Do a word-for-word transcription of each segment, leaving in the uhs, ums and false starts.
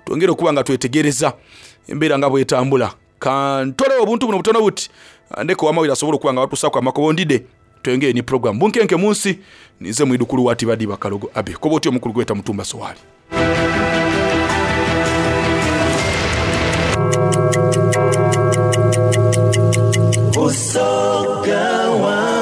Twongere okuba nga twetegereza embeera nga bwetambula. Kantole obuntu buno butono buti ndeko wamawulire asobola okuba nga batuusaku amakobo ndide twongere ni program bunkenke munsi nize mwidukulu wati badiba kalogo abe koba otyo omukulu gweta Mutumba Soali. Busoga One.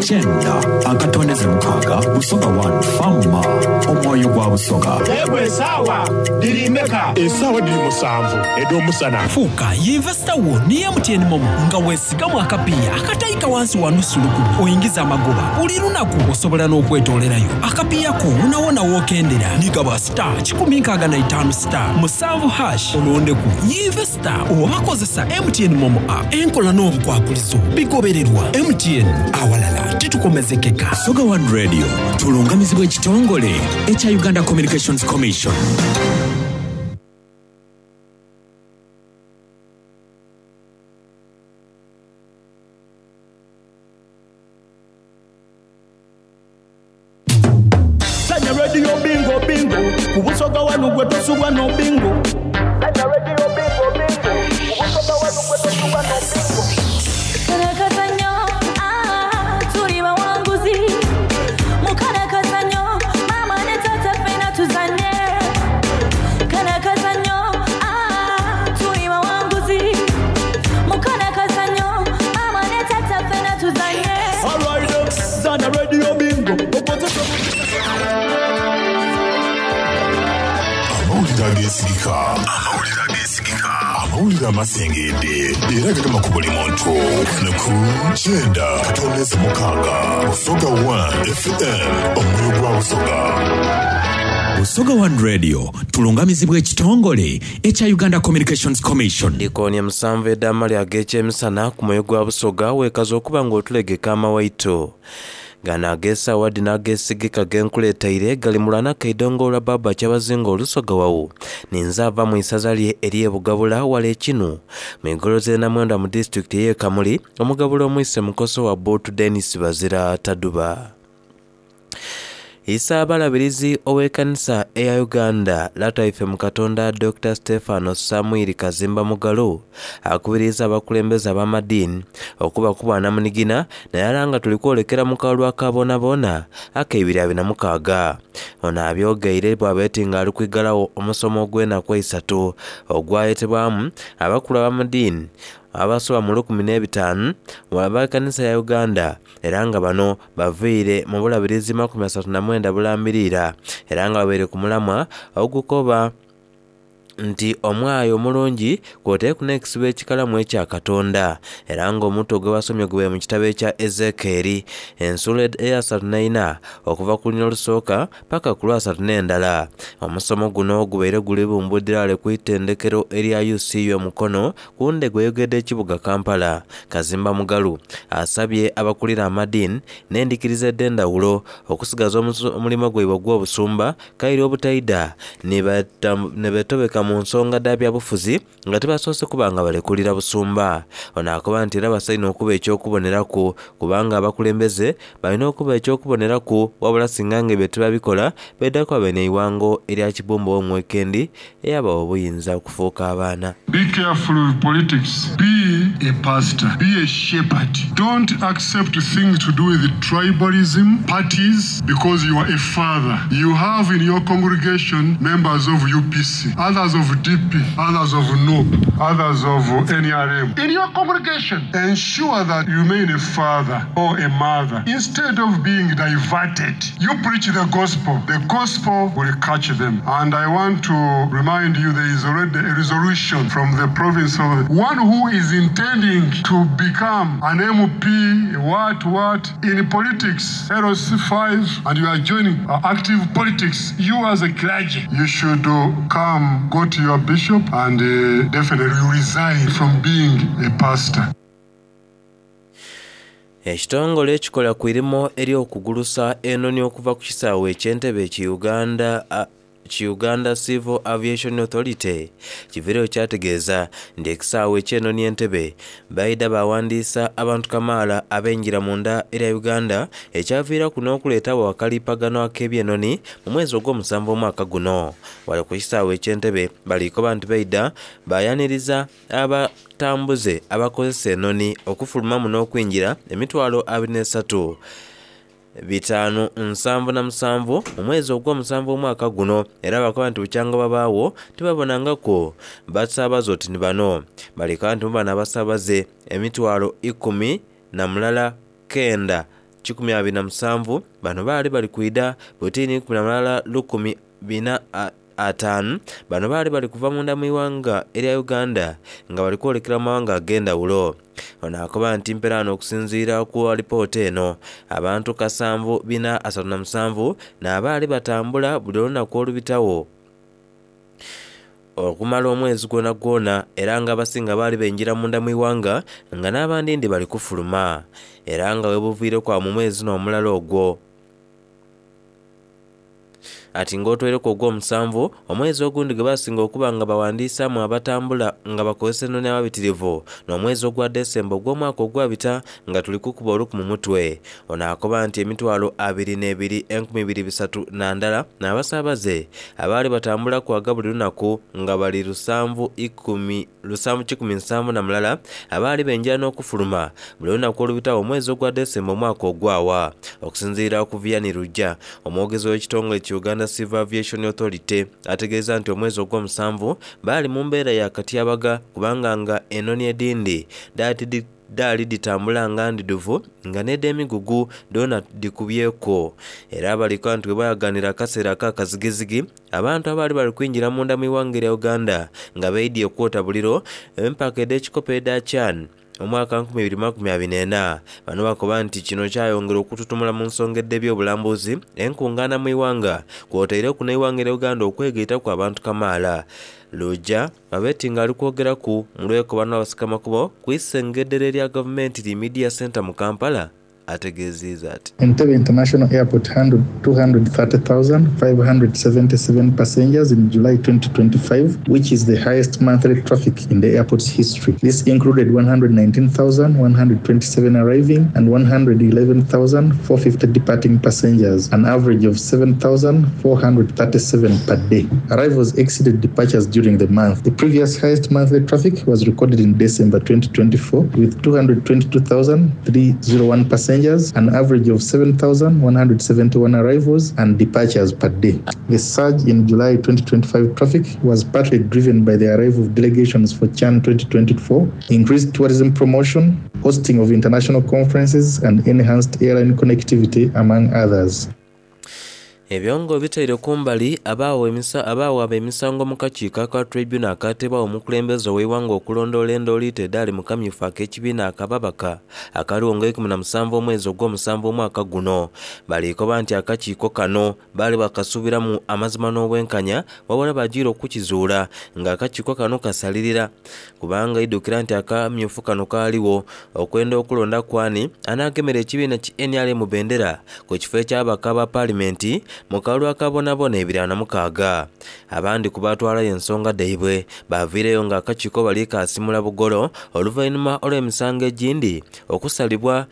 Kyenda akatondeze mukaaga Busoga One Fama omwoyo gwa Busoga. Yegwe esaawa diri mmeka? Esaawa diri musanvu ed'omusana. Fuuka yinvesita wo ni M T N MoMo nga weesigamu akapiiya akatayika wansi wa nusu lukumi oyingiza amagoba buli lunaku osobola n'okwetoolerayo akapiiya ko wonawona w'okendera nigaba star kikumi nkaaga na itaano star musanvu hash olondeku yinvesita oba kozesa M T N MoMo app enkola n'obukwakulizo bigobererwa M T N awalala titukomezekeka. Busoga One Radio tulungamizibwa ekitongole ekya Uganda Communications Commission. Sanya Radio bingo bingo ku Busoga One gwe tosubwa no bingo. Sanya Radio bingo bingo ku Busoga One gwe tosubwa no bingo. Karakazanyo, ah, tuli bawanguzi. Mukarakazanyo, mama ne tata ffena tuzanye. Karakazanyo, ah, tuli bawanguzi. Mukarakazanyo, mama ne tata ffena tuzanye. All right, Zana Radio bingo. Amawulire ageesigika. Amawulire ageesigika. Amawulire amasengedde era gagema ku buli muntu. Wano ku kyenda katondeze mukaaga Busoga One F M omwoyo gwa Busoga. Busoga One Radio tulungamizibwa ekitongole ekya Uganda Communications Commission. Ndikoonye musanvu eddaamali ag'ekyemisana ku mwoyo gwa Busoga weekaza okuba ng'otulegeka amawaito. Gano ag'essaawa dino ageesigika genkuleetaire gali mulwana kaidongo olwa baba kyabazinga olusoga wawu. Ninze ava mu isaza lye ery'e Bugabula wala ekinu. Mu igoloza Namwenda mu disitulikiti ey'e Kamuli, omugabula omwise mukoso wa Bootu Denis Bazira Taduba. Isaabalabirizi ow'ekkanisa eya Uganda Lataife mu Katonda Doctor Stefano Samuel Kazimba Mugalu akubiriza abakulembeze ab'amadiini okuba kuba namunigina naye ala nga tuli kwolekera mu kalulu akabonaboona ak'ebiri abiri na mukaaga. Ono abyogeire bw'abeeti nga ali kwigalawo omusomo ogw'enaku eisatu ogwayetebwamu abakulu ab'amadiini abasoba mu lukumi n'ebitaano ab'ekkanisa ya Uganda era nga bano baviire mu bulabirizi makumi asatu na mwenda bulambirira era nga babeire ku mulamwa ogukoba nti omwayo omulungi kw'oteeku n'ekisibo ekikalamu ekya Katonda era ng'omutwe gwe basomye gube mu kitabo ekya Ezekeeri ensuula eyasatu n'eina okuva ku lunya olusooka paka ku lwasatu n'endala. Omusomo guno gubaire guli bumbuddira ale ku itendekero erya U C U e Mukono ku ndego eyogedde ekibuga Kampala. Kazimba Mugalu asabye abakulira amadiini n'endikiriza ed'endawulo okusigaza omulimu gwaibwe ogw'obusumba kairi obutaida ne betobeka mu nsonga dda byabufuzi nga tebasoose kuba nga balekulira busumba. Ono akoba nti era basaine okuba ekyokuboneraku kubanga abakulembeze balina okuba ekyokuboneraku wabula singa nga ebyo tebabikola beddako babe n'eiwango erya Kibumba ow'omwekendi eyabawa obuyinza okufuuka abaana. Be careful with politics. Be a pastor. Be a shepherd. Don't accept things to do with tribalism, parties, because you are a father. You have in your congregation members of U P C, others of D P, others of N U P, others of N R M. In your congregation, ensure that you remain a father or a mother. Instead of being diverted, you preach the gospel. The gospel will catch them. And I want to remind you there is already a resolution from the province of one who is intending to become an M P, what, what, in politics, L C five, and you are joining, uh, active politics. You as a clergy, you should, uh, come, go to your bishop and, uh, definitely resign from being a pastor. Ekitongole ekikola ku irimu ery'okugulusa enoni okuva ku kisaawe eky'Entebbe ki Uganda, a, ki Uganda Civil Aviation Authority kiviireyo kyategeeza nti ekisaawe eky'enoni Entebbe baida bawandiisa abantu kamaala abenjira munda era Uganda ekyaviiraku n'okuleetawo akalipagano ak'ebyenoni mu mwezi ogw'omusanvu omwaka guno. Wali ku kisaawe eky'Entebbe baliiko nti baida bayaniriza abatambuze abakozesa enoni okufulumamu n'okwingira emitwalo abiri n'esatu bitaano nsanvu na musanvu mu mwezi ogw'omusanvu omwaka guno, era bakoba nti bukyanga babaawo tibabonangako basaabaze oti ni bano. Baleka nti mu bano abasaabaze emitwalo ikumi na mulala kenda kikumi abiri na musanvu bano baali bali kwida butini ikumi na mulala lukumi bina ataano bano baali bali kuva munda mu iwanga erya Uganda nga bali kwolekera mu mawanga ag'endawulo. Ono akoba nti mperaano okusinziira ku alipoota eno abantu kasanvu bina asatu na musanvu n'abaali batambula buli olunaku olubitawo okumala omwezi gwona gwona, era nga abasinga baali benjira munda mu iwanga nga n'abandi ndi bali kufuluma, era nga webuviire kwa mu mwezi n'omulala ogwo ati ng'otweireku ogw'omusanvu omwezi ogundi gwe basinga okuba nga bawandiisaamu abatambula nga bakozesa enoni ababitirivu n'omwezi ogwa Desemba ogw'omwaka ogwabita nga tuli kukuba oluku mu mutwe. Ono akoba nti emitwalo abiri n'ebiri enkumi ibiri bisatu na ndala n'abasaabaze abaali batambula kwaga buli lunaku nga bali lusanvu ikumi lusanvu kikumi nsanvu na mulala abaali benjira n'okufuluma buli lunaku olubitawo omwezi ogwa Desemba omwaka ogwawa. Okusinziira ku Vianney Lujja omwogezi w'ekitongole ki Uganda Civil Aviation Authority ategeeza nti omwezi ogw'omusanvu baali mu mbeera ya katyabaga kubanga nga enoni edindi daali ditambula nga ndiduvu nga n'ed'emigugu doona dikubyeko, era abaliko nti bwe bayaganira akaseera ak'akazigizigi abantu abaali bali kwingira munda mu iwanga erya Uganda nga beidye okwota buliro empaka ed'ekikopo eda CHAN omwaka nkumi ibiri makumi abiri n'ena. Bano bakoba nti kino kyayongera okututumula mu nsonga ed'ebyobulambuzi enkungaana mu iwanga kwotaireku n'eiwanga erya Uganda okwegaitaku abantu kamaala. Lujja abeti nga ali kwogeraku mu lwekobano abasikamakubo ku isengedere erya gavumenti li Media Center mu Kampala ategeezezza ati Entebbe International Airport handled two hundred thirty thousand five hundred seventy-seven passengers in July twenty twenty-five, which is the highest monthly traffic in the airport's history. This included one hundred nineteen thousand one hundred twenty-seven arriving and one hundred eleven thousand four hundred fifty departing passengers, an average of seven thousand four hundred thirty-seven per day. Arrivals exceeded departures during the month. The previous highest monthly traffic was recorded in December twenty twenty-four with two hundred twenty-two thousand three hundred one passengers, an average of seven thousand one hundred seventy-one arrivals and departures per day. The surge in July twenty twenty-five traffic was partly driven by the arrival of delegations for CHAN twenty twenty-four, increased tourism promotion, hosting of international conferences, and enhanced airline connectivity, among others. Ebyongo bitaire kumbali abaawa emisa abaawa ab'emisango mu kakiiko aka tribunal akateebwawo omukulembeze ow'eiwanga okulondoola endooliito edaali mu kamyufu ak'ekibiina akababaka akaliwo nga ikumi na musanvu omwezi ogw'omusanvu omwaka guno. Baliikoba nti akakiiko kano baali bakasuubiramu amazima n'obwenkanya wabula bagiire okukizuula ng'akakiiko kano kasalirira kubanga idukira nti akamyufu kano kaaliwo okwenda okulonda kwani anaagemera ekibiina ki N R M bendera ku kifo eky'ababaka ba paalimenti mu kalulu akabonabona ebiri ana mukaaga. Abandi ku baatwalayo ensonga dhaibwe baaviireyo ng'akakiiko bali kaasimula bugolo oluvannyuma olw'emisango egindi okusalibwa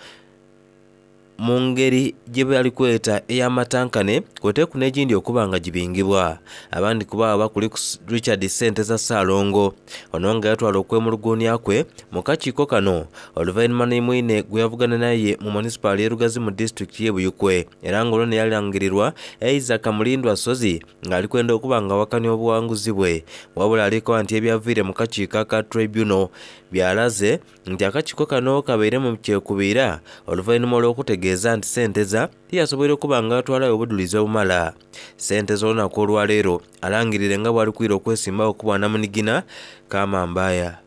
mu ngeri gye bali kweta ey'amatankane kwoteeku n'egindi okuba nga gibingibwa. Abandi ku baabo bakuli ku Richard Ssenteza Ssaalongo ono nga yatwala okwemulugunya kwe mu kakiiko kano oluvannyuma ne mwine gwe yavugana naye mu munisipaali y'e Lugazi mu disitulikiti y'e Buyikwe, era ng'olwo ne yalangirirwa Isaac Mulindwa Ssozi ng'ali kwenda okuba nga awakanya obuwanguzi bwe. Wabula aliko nti ebyaviire mu kakiiko aka tribunal byalaze nti akakiiko kano kabeire mu kyekubiira oluvannyuma olw'okutegeeza nti Ssenteza tiyasoboire okuba nga atwalayo obudulizi obumala. Ssenteza olunaku olwaleero alangirire nga bw'ali kwira okwesimbawo okuba namunigina Kama Mbaya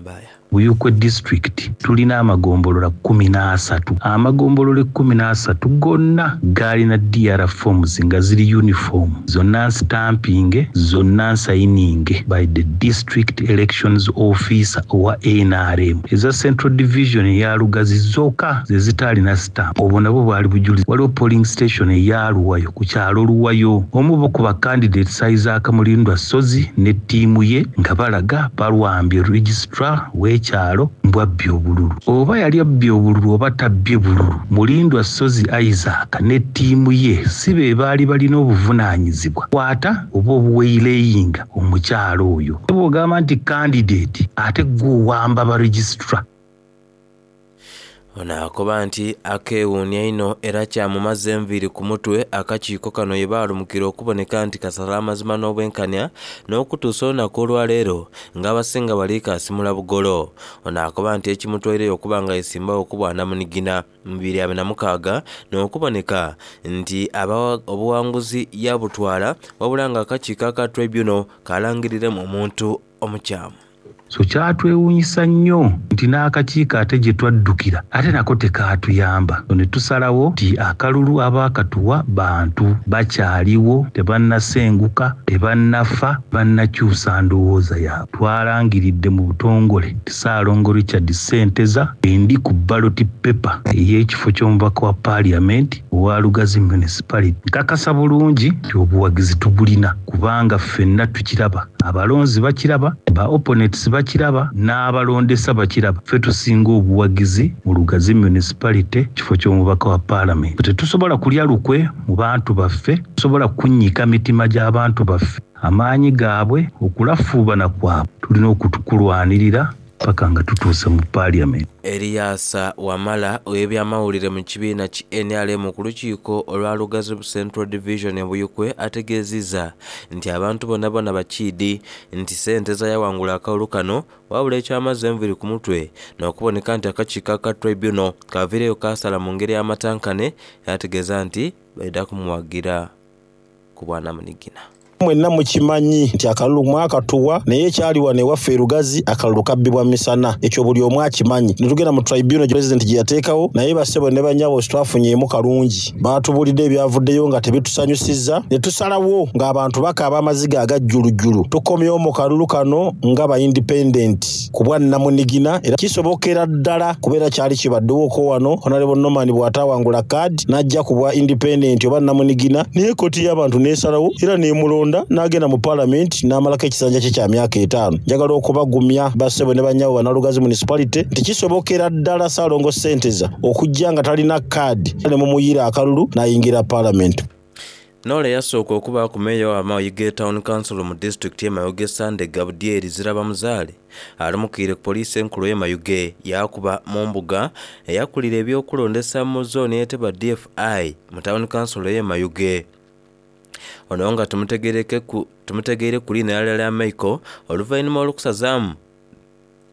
Mbaya. Buyikwe district tulina amagombolola kkumi n'asatu. Amagombolola ekkumi n'asatu gonna gaalina D R forms nga ziri uniform, zonna nstamping, zonna nsayininge by the district elections officer owa N R M. Eza Central Division eya Lugazi zokka ze zitaalina stamp. Obwo nabwo bwali bujulizi. Waliwo polling station eya Luwayo ku kyalo Luwayo, omu ku ba candidates Isaac Mulindwa Ssozi ne ttiimu ye nga balaga balwambye registrar w'ekyalo mbwabbye obululu. Oba yali abbye obululu oba tabbye bululu, Mulindwa Ssozi Isaac ne ttiimu ye si be baali balina obuvunaanyizibwa kwata oba obuweireyinga omukyalo oyo. Bw'ogamba nti candidate ate gwe owamba ba registrar. Ono akoba nti akeewuunya ino era kyamumaze enviiri ku mutwe akakiiko kano ye baalumukira okuboneka nti kasala amazima n'obwenkanya n'okutuusa olunaku olwaleero ng'abasinga bali kaasimula bugolo. Ono akoba nti ekimutwaireyo okuba nga yesimbawo okubwanamunigina mu bibiri abiri na mukaaga n'okuboneka nti obuwanguzi yabutwala wabula ng'akakiiko aka tribunal kalangiriremu omuntu omukyamu. So kyatwewuunyisa nnyo nti n'akakiiko ate gye twaddukira ate nako tekaatuyamba. So ne tusalawo nti akalulu abaakatuwa bantu bakyaliwo, tebannasenguka, tebannafa, bannakyusa ndowooza yaabwe. Twalangiridde mu butongole nti Ssaalongo Richard Ssenteza endi ku ballot paper ey'ekifo ky'omubaka wa Parliament owa Lugazi Municipality. Nkakasa bulungi nti obuwagizi tubulina kubanga ffenna tukiraba, abalonzi bakiraba, ba opponents bakiraba n'abalondesa bakiraba. Ffe tusinga obuwagizi mu Lugazi Municipality kifo ky'omubaka wa Parliament. Tetusobola kulya lukwe mu bantu baffe, tusobola kunnyika mitima gy'abantu baffe. Amaanyi gaabwe, okulafuubana kwabwe tulina okutukulwanirira paka nga tutuuse mu Parliament. Eriasa Wamala ow'ebyamawulire mu kibiina ki N R M ku lukiiko olwa Lugazi Central Division e Buyikwe ategeezezza nti abantu bonna bonna bakiidi nti ssente yawangula akalulu kano wabula ekyamazzi enviiri ku mutwe n'okuboneka nti akakiiko aka tribunal kaviireyo kaasala mu ngeri y'amatankane yategeeza nti baida kumuwagira ku bwanamunigina. Mwenna mukimanyi nti akalulu mwakatuwa naye ekyali wano ewaffe e Lugazi akalulu kabbibwa misana, ekyo buli omu akimanyi. Ne tugenda mu tribunal president gye yateekawo naye bassebo ne bannyabo twafunyeemu kalungi, baatubulidde ebyavuddeyo nga tebitusanyusizza ne tusalawo ng'abantu bakaaba amaziga agajjulujjulu. Tukomyewo mu kalulu kano nga ba independent ku bwannamunigina era kisobokera ddala kubeera kyali kibaddewoko wano Honorable Norman bw'ataawangula kaadi n'ajja ku bwa independent oba nnamunigina naye kkooti y'abantu n'esalawo era n'emulonda n'agenda mu Parliament n'amalako ekisanja kye kya myaka etaano. Njagala okubagumya bassebo ne bannyabo Bannalugazi Municipality nti kisobokera ddala Ssaalongo Ssenteza okujja nga talina kaadi ne mumuyira akalulu n'ayingira Parliament. Nole yasooka okuba ku meeya wa Mayuge Town Council mu disitulikiti y'e Mayuge Sande Gabudyeri Zirabamuzaale alumukiire ku poliisi enkulu y'e Mayuge yakuba mu mbuga eyakulira ebyokulondesa mu zooni eyetebwa D F I mu Town Council y'e Mayuge. Ono nga tumutegereke ku tumutegeere ku linnya lya Michael oluvannyuma olw'okusazaamu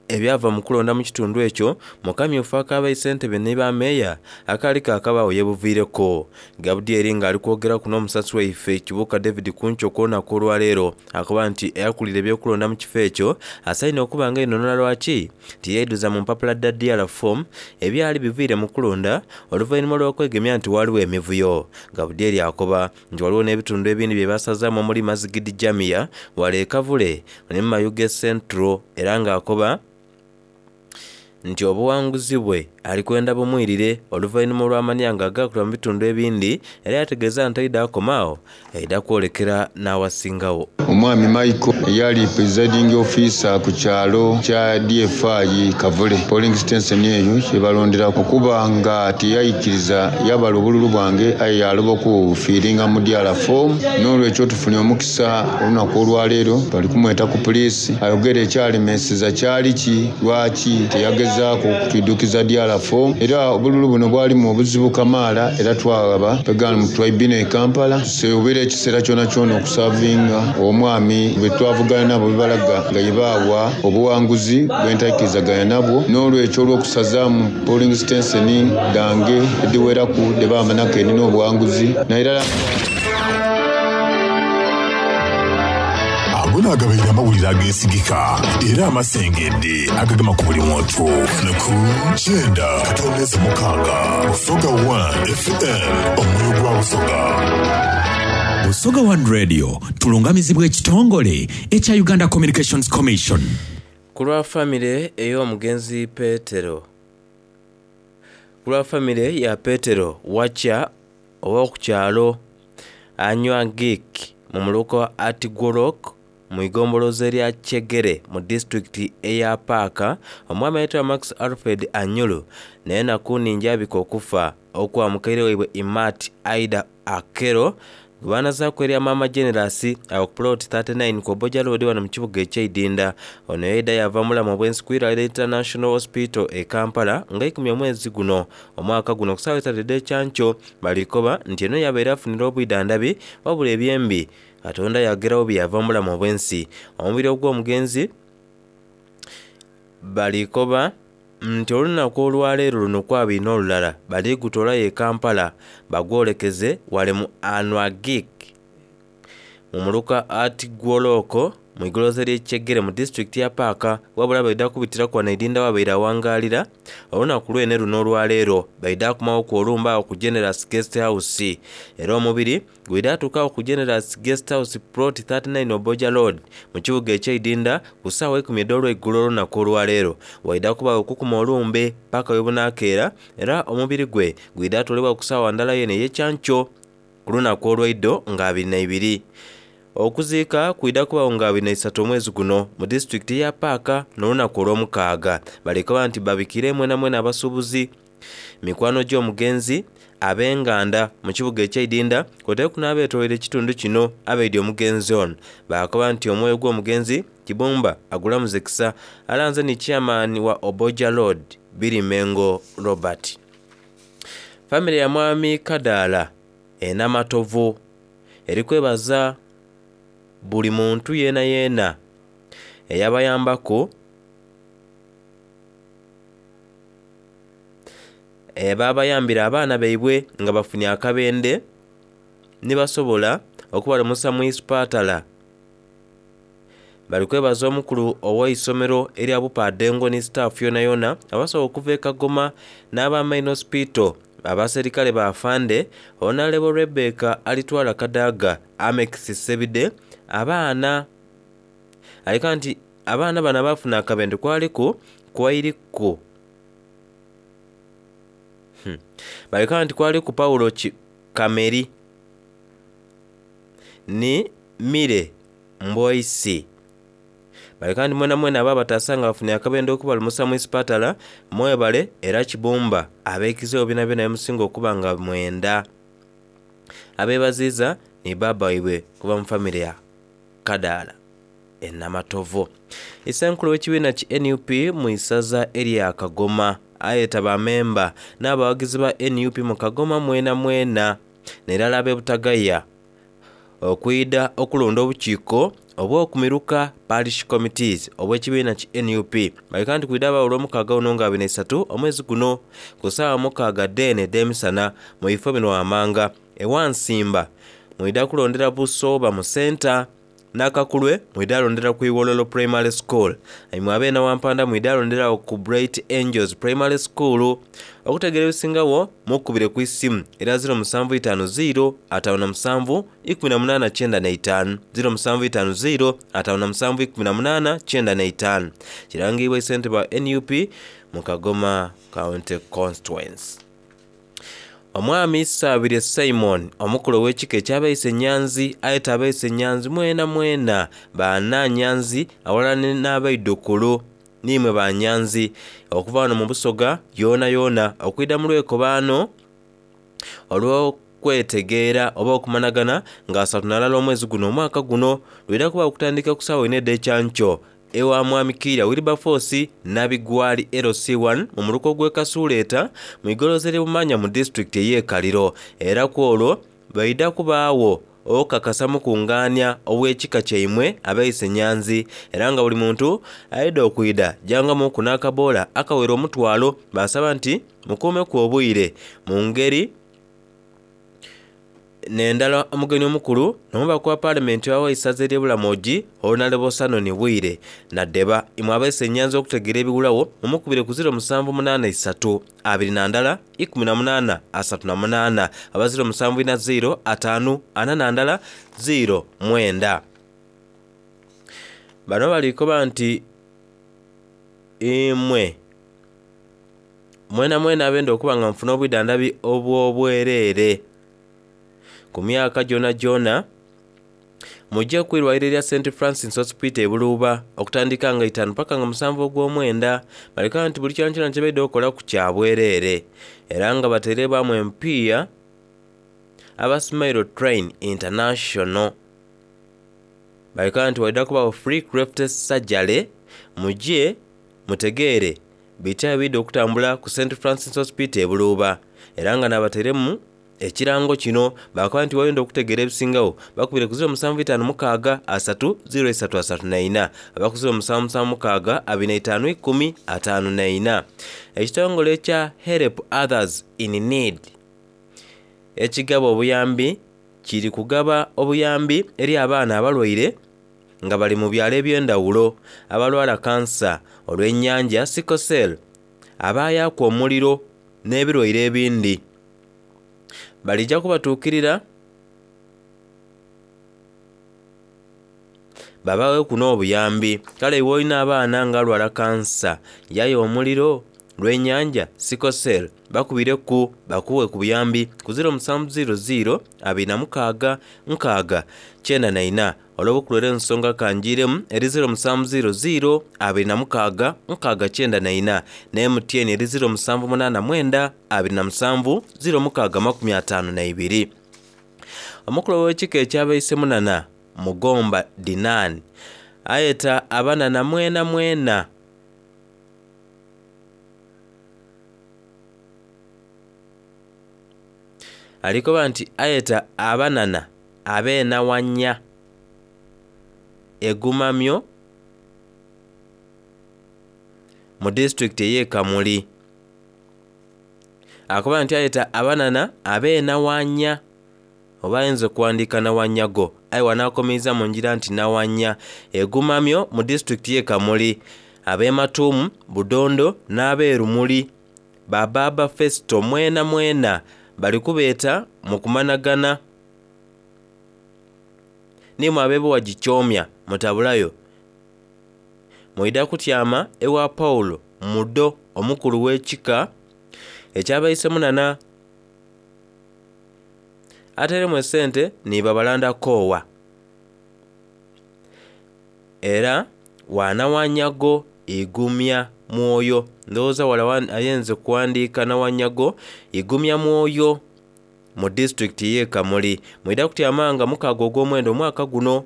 ebyava mu kulonda mu kitundu ekyo mu kamyufu ak'abayi ssentebe ne ba meeya akaali kaakabaawo yeebuviireko. Gabudyeri ng'ali kwogera kuno omusasi waife Kibuuka David Kuncho ku lunaku olwaleero akuba nti eyakulira ebyokulonda mu kifo ekyo asaine okuba nga enonola lwaki tiyeeduza mu mpapula dda D R form ebyali biviire mu kulonda oluvannyuma lw'okwegemya nti waliwo emivuyo. Gabudyeri akoba nti waliwo n'ebitundu ebindi bye basazaamu omuli Mazigidi Jamia wala e Kavule ne mu Mayuge Central era ng'akoba nti obuwanguzi bwe alikwenda bumwirire oluvannyuma olw'amanya nga agakulwa mu bitundu ebindi era yategeeza nti aida akomaawo aida kwolekera n'awasingawo. Omwami Michael eyali presiding officer ku kyalo kya D F I Kavule polling station eyo kye balondera okuba nga teyayikiriza yabala obululu bwange aye yaloba okufiiringa mu D R form. N'olwekyo tufunye omukisa olunaku olwaleero bali kumweta ku poliisi ayogere ekyalemeseza kyali ki lwaki teyagezaako okutwiddukiza D R form. Era obululu buno bwalimu obuzibu kamaala era twagaba pegana mu tribunal e Kampala tuseobera ekiseera kyona kyona okusavinga omwami bwe twavugana nabo bibalaga nga ye baawa obuwanguzi bwe ntakkirizaganya nabwo. N'olwekyo olw'okusazaamu polling station dange ediweraku de baamanako erina obuwanguzi naye era Ago naagabaire amawulire ageesigika era amasengedde agagema ku buli muntu. Ku kyenda katondeze mukaaga Busoga one F M, omwoyo gwa Busoga. Busoga One Radio tulungamizibwa ekitongole ekya Uganda Communications Commission. Ku lwa famire ey'omugenzi Petero, ku lwa famire ya Petero Wacha ow'oku kyalo Anywagik mu muluka Atigorok mu igombolozo erya Kyegere mu disitulikiti eya Paaka, omwami ayitibwa Max Alfred Anyulu naye nakuninja abika okufa okwa mukaire waibwe Imat Aida Akero gwe erya Mama Generous awo ku plot thirty-nine ku Oboja Road wano mu kibuga eky'Eidinda. Ono yaida yava mulamu obwensi ku Iralira International Hospital e Kampala nga ikumi omwezi guno omwaka guno ku ssaawa esatu ed'ekyankyo. Balikoba nti eno yabeera afunira obwidandhabi wabula ebyembi Katonda yagerawo bye yava mulamu obwensi. Omubiri ogw'omugenzi balikoba nti olunaku olwaleero luno kwabiri n'olulala baligutoolayo e Kampala bagwolekeze wale mu Anwagik mu muluka Atigwoloko mu igoloza ly'Ekyegere mu disitulikiti ya Paaka, wabula baida kubitiraku wano Idinda wabaire awangalira olunaku lwene luno olwaleero. Baida kumawo ku olumba awo ku Generous Guest House, era omubiri gwida atuukawo ku Generous Guest House plot thirty-nine Oboja Road mu kibuga eky'Eidinda ku ssaawa ikumi ed'olweiggulo olunaku olwaleero. Waida kubawo okukuma olumbe paka we bunaakeera, era omubiri gwe gwida atoolebwa ku ssaawa ndala yene ey'ekyankyo ku lunaku olw'eiddo nga abiri na ibiri. Okuziika kwida kubawo nga abiri na isatu omwezi guno mu disitulikiti ya Paaka n'olunaku olw'omukaaga. Balikoba nti babikire mwena mwena abasuubuzi, mikwano gy'omugenzi, ab'enganda mu kibuga eky'Eidinda kwoteeku n'abeetoolera ekitundu kino abaidi omugenzi ono. Baakoba nti omwoyo gw'omugenzi Kibumba agulamuze kisa. Alanze ni chairman wa Oboja Road Birimengo Robert. Famire ya Mwami Kadaala enamatovu erikwebaza buli muntu yeena yeena eyabayambaku ebabayambira abaana baibwe nga bafunye akabende nibasobola okubalamusa mu isipatala. Bali kwebaza omukulu ow'eisomero erya Bupadengo ni staff yona yona abasobola okuva e Kagoma n'aba Main Hospital, abaserikale bafande Honorable Rebecca Alitwala Kadaga, Amex Sebide, abaana aleka nti abaana bano abafuna akabende kwaliku kwairiku hmm. baleka nti kwaliku Paulo Kameri ni Mire Mboisi. Baleka nti mwena mwena aba batasanga bafunye akabende okubalumusa mu isipatala mwebale, era Kibumba abeekizeewo byona byona emusinga okuba nga mwenda. Abeebaziiza ni baba waibwe kuva mu famire ya Kadaala enamatovu. Isenkulu w'ekibiina ki N U P mu isaza erya Kagoma ayeta bamemba n'abawagizi ba N U P mu Kagoma mwena mwena nerala ab'e Butagaya okwida okulonda obukiiko obw'okumiruka parish committees obw'ekibiina ki N U P. Baleka nti kwida abawo olw'omukaaga guno nga abiri na isatu omwezi guno ku ssaawa mukaaga ddeene ed'emisana mu bifo bino wammanga. Ewansimba mwida kulondera Busooba mu senta, Nakakulwe mwida alondera ku Iwololo Primary School, imwe abeena Wampanda mwida alondera ku Bright Angels Primary School. Okutegeera ebisingawo mukubire ku isimu era ziro musanvu itaano ziro ataano na musanvu ikumi na munaana kyenda na itaano, ziro musanvu itaano ziro ataano na musanvu ikumi na munaana kyenda na itaano. Kirangibwa ssentebe wa N U P mu Kagoma County Constituency. Omwami Saabirye Simon omukulu ow'ekika ekyabeise Nyanzi ayeta abeise Nyanzi mwena mwena baana Nyanzi awalala n'abaidukulu nimwe ba Nyanzi okuva wano mu Busoga yoona yoona okwida mu lwekobaano olw'okwetegeera oba okumanagana nga asatu nalala omwezi guno omwaka guno lwira kuba okutandika ku ssaawa ina ed'ekyankyo ewa Mwami Kiira Wilberforce Nabigwali L C one mu muluka gw'e Kasuuleeta mu igoloza ly'Ebumanya mu disitulikiti ey'e Kaliro. Era ku olwo baida kubaawo okakasa mukungaanya ow'ekika kyaimwe abeise Nyanzi, era nga buli muntu aida okwida jangamuku n'akaboola akawera omutwalo. Basaba nti mukuumeku obwire mu ngeri Nendala omugenyi omukulu n'omubaka wa paalamenti wa waisaza ery'Obulamogi Honorable Sanoni Bwire Naddeba. Imwe abaise ennyanza okutegeera ebiwulawo mumukubire ku ziro musanvu munaana isatu abiri na ndala ikumi na munaana asatu na munaana aba ziro musanvu ina ziro ataanu ana na ndala ziro mwenda. Bano balikoba nti imwe mwena mwena abenda okuba nga nfuna obwidandhabi obw'obwereere ku myaka gyona gyona mujje kwirwaliro erya Saint Francis Hospital e Buluuba okutandika nga itaanu paka nga musanvu ogw'omwenda. Baleka nti buli kyona kyona kyebaidde okukola ku kya bwereere era nga bateerebwamu empiiya aba Smile Train International. Baleka nti waidha kubawo free cleft surgery, mujje mutegeere bitya ebidde okutambula ku Saint Francis Hospital e Buluuba era nga nabateeremu ekirango kino. Bakoba nti wayenda okutegeera ebisingawo bakubire ku ziro musanvu itaanu mukaaga asatu ziro isatu asatu na ina aba ku ziro musanvu musanvu mukaaga abiri na itaanu ikumi ataanu na ina. Ekitongole ekya Help Others in Need ekigaba obuyambi kiri kugaba obuyambi eri abaana abalwaire nga bali mu byalo eby'endawulo, abalwala kansa olw'ennyanja, sickle cell, abaayaka omuliro n'ebirwaire ebindi. Balijja kubatuukirira babaweeku n'obuyambi. Kale iwe olina abaana nga alwala kansa, yaya omuliro, lw'ennyanja, sickle cell, bakubireku bakuwe ku buyambi ku ziro musanvu ziro ziro abiri na mukaaga nkaaga kyenda na ina. Olw'obukulera ensonga kanjiiremu eri ziro musanvu ziro ziro abiri na mukaaga nkaaga kyenda na ina ne M T N eri ziro musanvu munaana mwenda abiri na musanvu ziro mukaaga makumi ataano na ibiri. Omukulu w'ekika ekyabaise munana Mugomba Dinan ayeta abanana mwena mwena alikoba nti ayeta abanana ab'enawanya egumamyo mu disitulikiti ey'e Kamuli. Akoba nti ayeta abanana ab'enawanya oba ayinza okuwandiika nawanyago aye wanaakomeeza mu ngira nti nawanya egumamyo mu disitulikiti y'e Kamuli, ab'ematuumu Budondo n'ab'erumuli Bababa Festo mwena mwena bali kubeeta mu kumanagana nimwe ab'ebuwa gikyomya mutabulayo mwidha kutyama ewa Paulo Mudo omukulu w'ekika ekyabaise munana ateremu esente niba balanda koowa era wanawanyago igumya mwoyo. Ndowooza wala ayenze kuwandiika nawanyago igumya mwoyo mu disitulikiti y'e Kamuli. Mwidha kutyamanga mukaaga ogw'omwenda omwaka guno.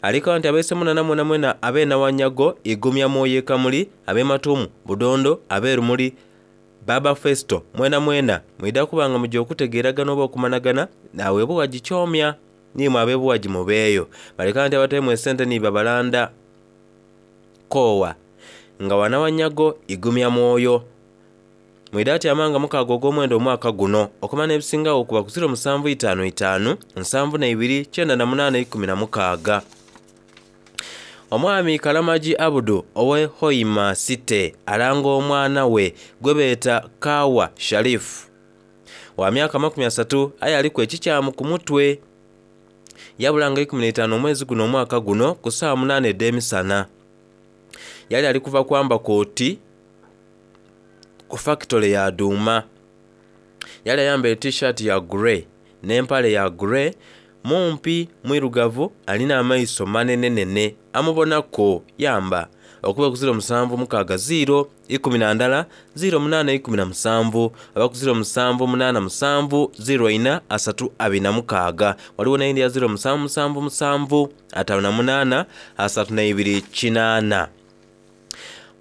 Alikawa nti abaise munana mwena mwena ab'enawanyago igumya mwoyo e Kamuli, ab'ematuumu Budondo, ab'erumuli Baba Festo mwena mwena mwidha kubanga mujja okutegeeragana oba okumanagana naawe ebuwa gikyomya nimwe ab'ebuwa gimubeeyo. Baleka nti abateemu esente niba balanda koowa nga wanawanyago igumya mwoyo. Mwidha atyamanga mukaaga ogw'omwenda omwaka guno okumanya ebisingawo okuba ku ziro musanvu itaanu itaanu nsanvu na ibiri kyenda na munaana ikumi na mukaaga. Omwami Kalamagi Abudu owe Hoima City alanga omwana we gwe beeta Kawa Sharif wa myaka makumi asatu aye aliku ekikyamu ku mutwe. Yabulanga ikumi n'etaano omwezi guno omwaka guno ku ssaawa munaana ed'emisana. Yali ali kuva kwamba kooti ku fakitole ya Duuma. Yali ayambaire t-shirt ya grey n'empale ya grey, mumpi mwirugavu alina amaiso manenenene amubonako yamba okuba ku ziro musanvu mukaaga ziro ikumi na ndala ziro munaana ikumi na musanvu aba ku ziro musanvu munaana musanvu ziro ina asatu abiri na mukaaga. Waliwo n'eyindi ya ziro musanvu musanvu musanvu ataano na munaana asatu na ibiri kinaana.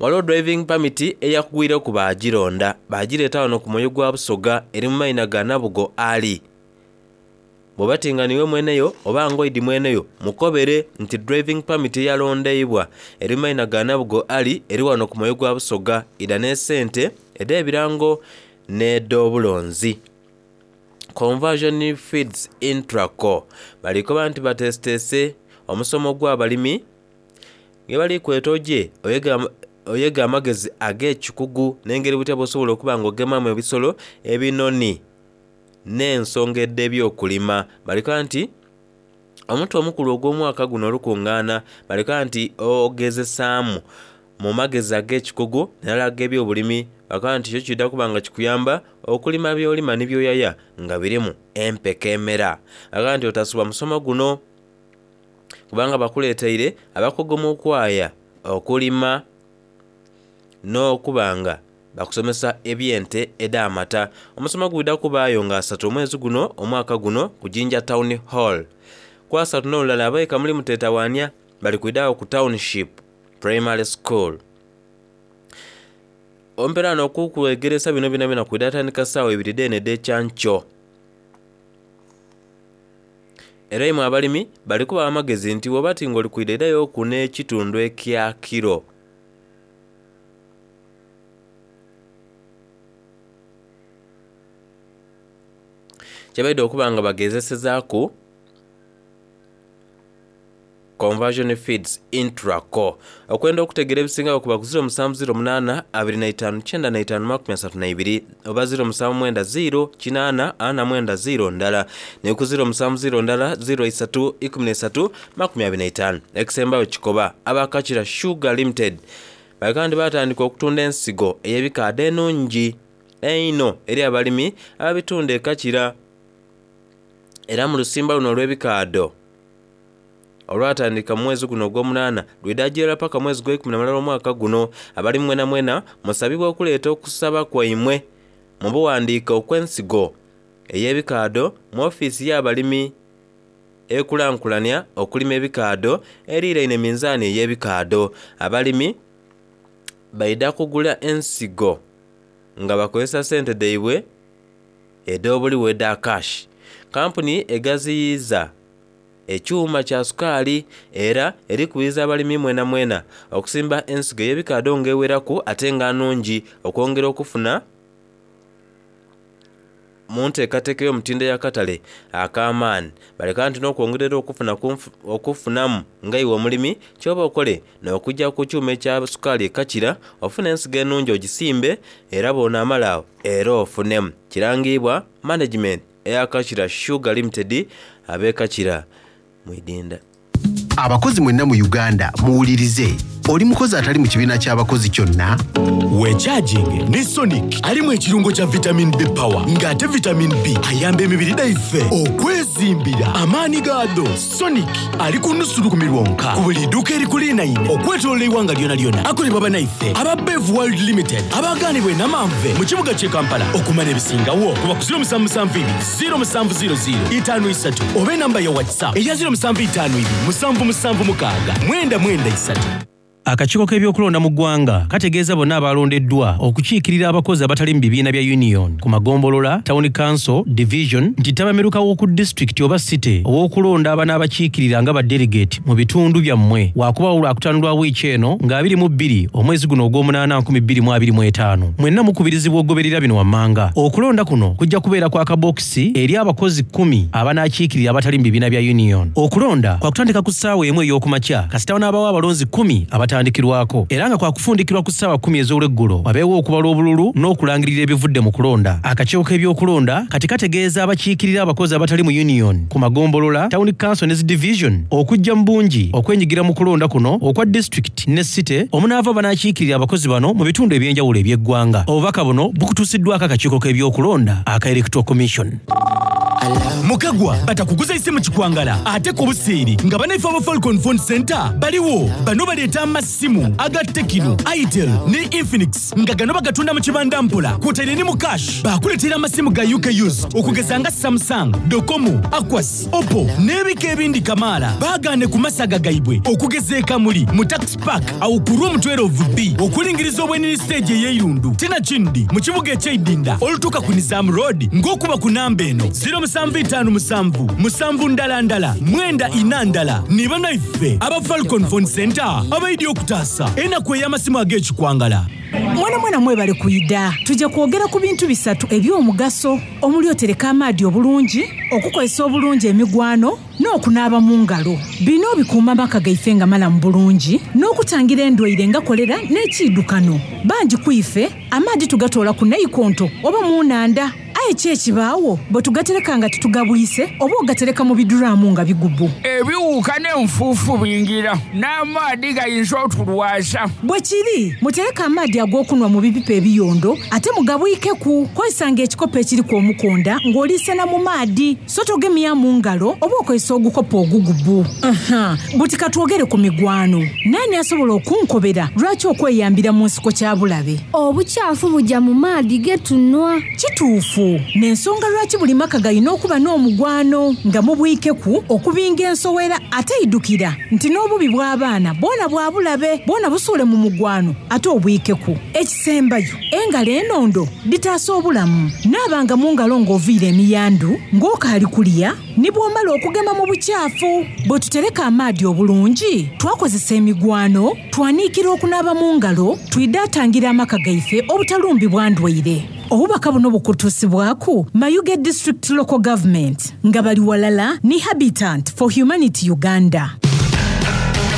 Waliwo driving permit eyakugwireku baagironda baagireeta wano ku mwoyo gwa Busoga eri mu maina ga Nabugo Ali. Bw'oba tinga niwe mweneyo oba ngoidi mweneyo mukobere nti driving permit eyalondeibwa eri mu maina ga Nabugo Ali eri wano ku mwoyo gwa Busoga ida n'esente ed'ebirango n'ed'obulonzi. Conversion Feeds Intraco balikoba nti batesitese omusomo gw'abalimi nge bali kwetoje oyega oyega amagezi ag'ekikugu n'engeri butya bw'osobola okuba nga ogemamu ebisolo ebinoni n'ensonga edh'ebyokulima. Balikoba nti omuntu omukulu ogw'omwaka guno olukungaana balikoba nti ogezesaamu mu magezi ag'ekikugu nalala ag'ebyobulimi. Balikoba nti kyo kidda kuba nga kikuyamba okulima by'olima ni by'oyaya nga birimu empeka emera. Balikoba nti otasubwa musomo guno kubanga bakuleeteire abakugu mu kwaya okulima n'okubanga bakusomesa ebyente ed'amata. Omusomo gwidda kubaayo nga asatu omwezi guno omwaka guno ku Jinja Town Hall. Ku asatu n'olulala abaika muli muteetawaanya bali kwidaawo ku Township Primary School. Omperano okukwegeresa bino bina bina kwidda atandika ssaawa ibiri dheene ed'ekyankyo. Era imwe abalimi bali kubawa amagezi nti bw'oba ti ng'oli kwidha iddayo n'ekitundu ekya kiro kyebaidde okuba nga bagezesezaaku Conversion Feeds Intraco. Okwenda okutegera ebisingawo kuba ku ziro musanvu ziro munaana abiri na itaanu kyenda na itaanu makumi asatu na ibiri oba ziro musanvu mwenda ziro kinaana ana mwenda ziro ndala ne ku ziro musanvu ziro ndala ziro isatu ikumi na isatu makumi abiri na itaanu. Ekisembayo kikoba abakakira Sugar Limited bakandi batandika okutunda ensigo ey'ebikaado ennungi eino eri abalimi ababitunda ekakira era mu lusimba luno olw'ebikaado olwatandika mu mwezi guno ogw'omunaana lwidajira paka mwezi gw'ekumi na mulala omwaka guno. Abali mwena mwena musabibwa okuleeta okusaba kwaimwe mu buwandiika okw'ensigo ey'ebikaado mu ofiisi y'abalimi ekulankulanya okulima ebikaado eriiraine minzaani ey'ebikaado. Abalimi baida kugula ensigo nga bakozesa sente dhaibwe ed'obuliwo edha cash. Kampuni egaziyiza ekyuma kya sukaali era erikubiriza abalimi mwena mwena okusimba ensigo ey'ebikaado ng'eweraku ate nga nnungi okwongera okufuna mu nteekateeka ey'omutindo ey'akatale ak'amaani. Baleka nti n'okwongerera okufuna okufunamu nga iwe omulimi ky'oba okole n'okujja ku kyuma ekya sukaali ekakira ofune ensigo ennungi ogisimbe era bw'onaamala awo era ofunemu. Kirangibwa management ey'Akakira Sugar Limited ab'Ekakira mwidinda. Abakozi mwenna mu Uganda muwulirize. Oli mukozi atali mu kibiina ky'abakozi kyonna? Wecharging ne Sonic alimu ekirungo kya vitamin B power ng'ate vitamin B ayamba emibiri gyaffe okwezimbira amaanyi gaado. Sonic ali ku nusu lukumi lwonka ku buli dduuka erikulinaine okwetoolola eggwanga lyona lyona. Akolebwa bannaffe aba Bev World Limited abagaanibwa e Namanve mu kibuga ky'e Kampala. Okumanya ebisingawo kuba ku ziro musanvu musanvu ibiri ziro musanvu ziro ziro itaano isatu oba enamba ya WhatsApp eya ziro musanvu itaano ibiri musanvu musanvu mukaaga mwenda mwenda isatu. Akakiiko k'ebyokulonda mu ggwanga kategeeza bonna abalondeddwa okukiikirira abakozi abatali mu bibiina bya union ku magombolola, town council, division nti ttabamiruka w'oku disitulikiti oba city ow'okulonda abanaabakiikirira nga ba delegate mu bitundu byammwe wakubawo lwakutaano lwa wiiki eno nga abiri mu bbiri omwezi guno ogw'omunaana nkumi bbiri mu abiri mu etaano. Mwenna mukubirizibwa okugoberera bino wammanga. Okulonda kuno kujja kubeera kwa kabokisi eri abakozi kkumi abanaakiikirira abatali mu bibiina bya union. Okulonda kwakutandika ku ssaawa emu ey'okumakya kasita wanaabawo abalonzi kkumi abatandikirwako era nga kwakufundikirwa ku ssaawa kkumi ez'olweggulo wabeewo okubala obululu n'okulangirira ebivudde mu kulonda. Akakiiko k'ebyokulonda kati kategeeza abakiikirira abakozi abatali mu union ku magombolola, town council ne zi division okujja mu bungi okwenyigira mu kulonda kuno okwa disitulikiti ne city omunaava banaakiikirira abakozi bano mu bitundu eby'enjawulo eby'eggwanga. Obubaka buno bukutuusiddwako akakiiko k'ebyokulonda aka Electoral Commission. Mukagwa batakuguza isimu kikwangala ate ku buseeri nga banaife aba Falcon Phone Center baliwo. Bano baleeta amasimu aga Tecno, Itel ne Infinix nga gano bagatunda mu kibanda mpola kwotaire ne mu cash. Bakuleetera amasimu ga U K used okugeza nga Samsung, Docomo, Aquas, Oppo n'ebika ebindi kamaala. Baagaane ku masaga gaibwe okugeza e Kamuli mu Tax Park awo ku room twelve B okulingiriza obwenini stage ey'eirundu tena kindi mu kibuga eky'eidinda olutuuka ku Nizam Road ng'okuba ku namba eno ziro musanvu itaano itaanu musanvu musanvu ndala ndala mwenda ina ndala ni banaife aba Falcon Phone Center abaidi okutaasa enaku ey'amasimu ag'ekikwangala. Mwana mwana mwebale kuyida tujja kwogera ku bintu bisatu eby'omugaso omuli otereka amaadi obulungi, okukozesa obulungi emigwano n'okunaaba mu ngalo. Bino bikuuma amaka gaife nga malamu bulungi n'okutangira endwaire nga kolera n'ekiddukano. Bangi ku ife amaadi tugatoola ku naikonto oba mu nnanda. Aye ki ekibaawo bwe tugatereka nga tetugabwise oba ogatereka mu biduraamu nga bigubu. Ebiwuka n'enfuufu bingira n'amaadi gayinza otulwaza. Bwe kiri mutereke amaadi ag'okunwa mu bipipa ebiyondo ate mugabwikeku. Kozesanga ekikopo ekiriku omukonda ng'oliisena mu maadi so togemya mu ngalo oba okozesa ogukopo ogugubu. Aha, buti katwogere ku migwano. Naani asobola okunkobera lwaki okweyambira mu nsiko kya bulabe? Obukyafu bujja mu maadi getunwa. Kituufu. N'ensonga lwaki buli maka galina okuba n'omugwano nga mubwikeku okubinga ensowera ate idukira nti n'obubi bw'abaana bwona bwa bulabe bwona busuule mu mugwano ate obwikeku. Ekisembayo engalo enondo ditaasa obulamu. Naabanga mu ngalo ng'oviira emiyandu ng'okaali kulya ni bw'omala okugema mu bukyafu. Bwe tutereka amaadi obulungi twakozesa emigwano twaniikira okunaaba mu ngalo twidaatangira amaka gaife obutalumbibwa ndwaire. Obubaka buno bukutuusibwaku Mayuge District Local Government nga bali walala ni Habitat for Humanity Uganda.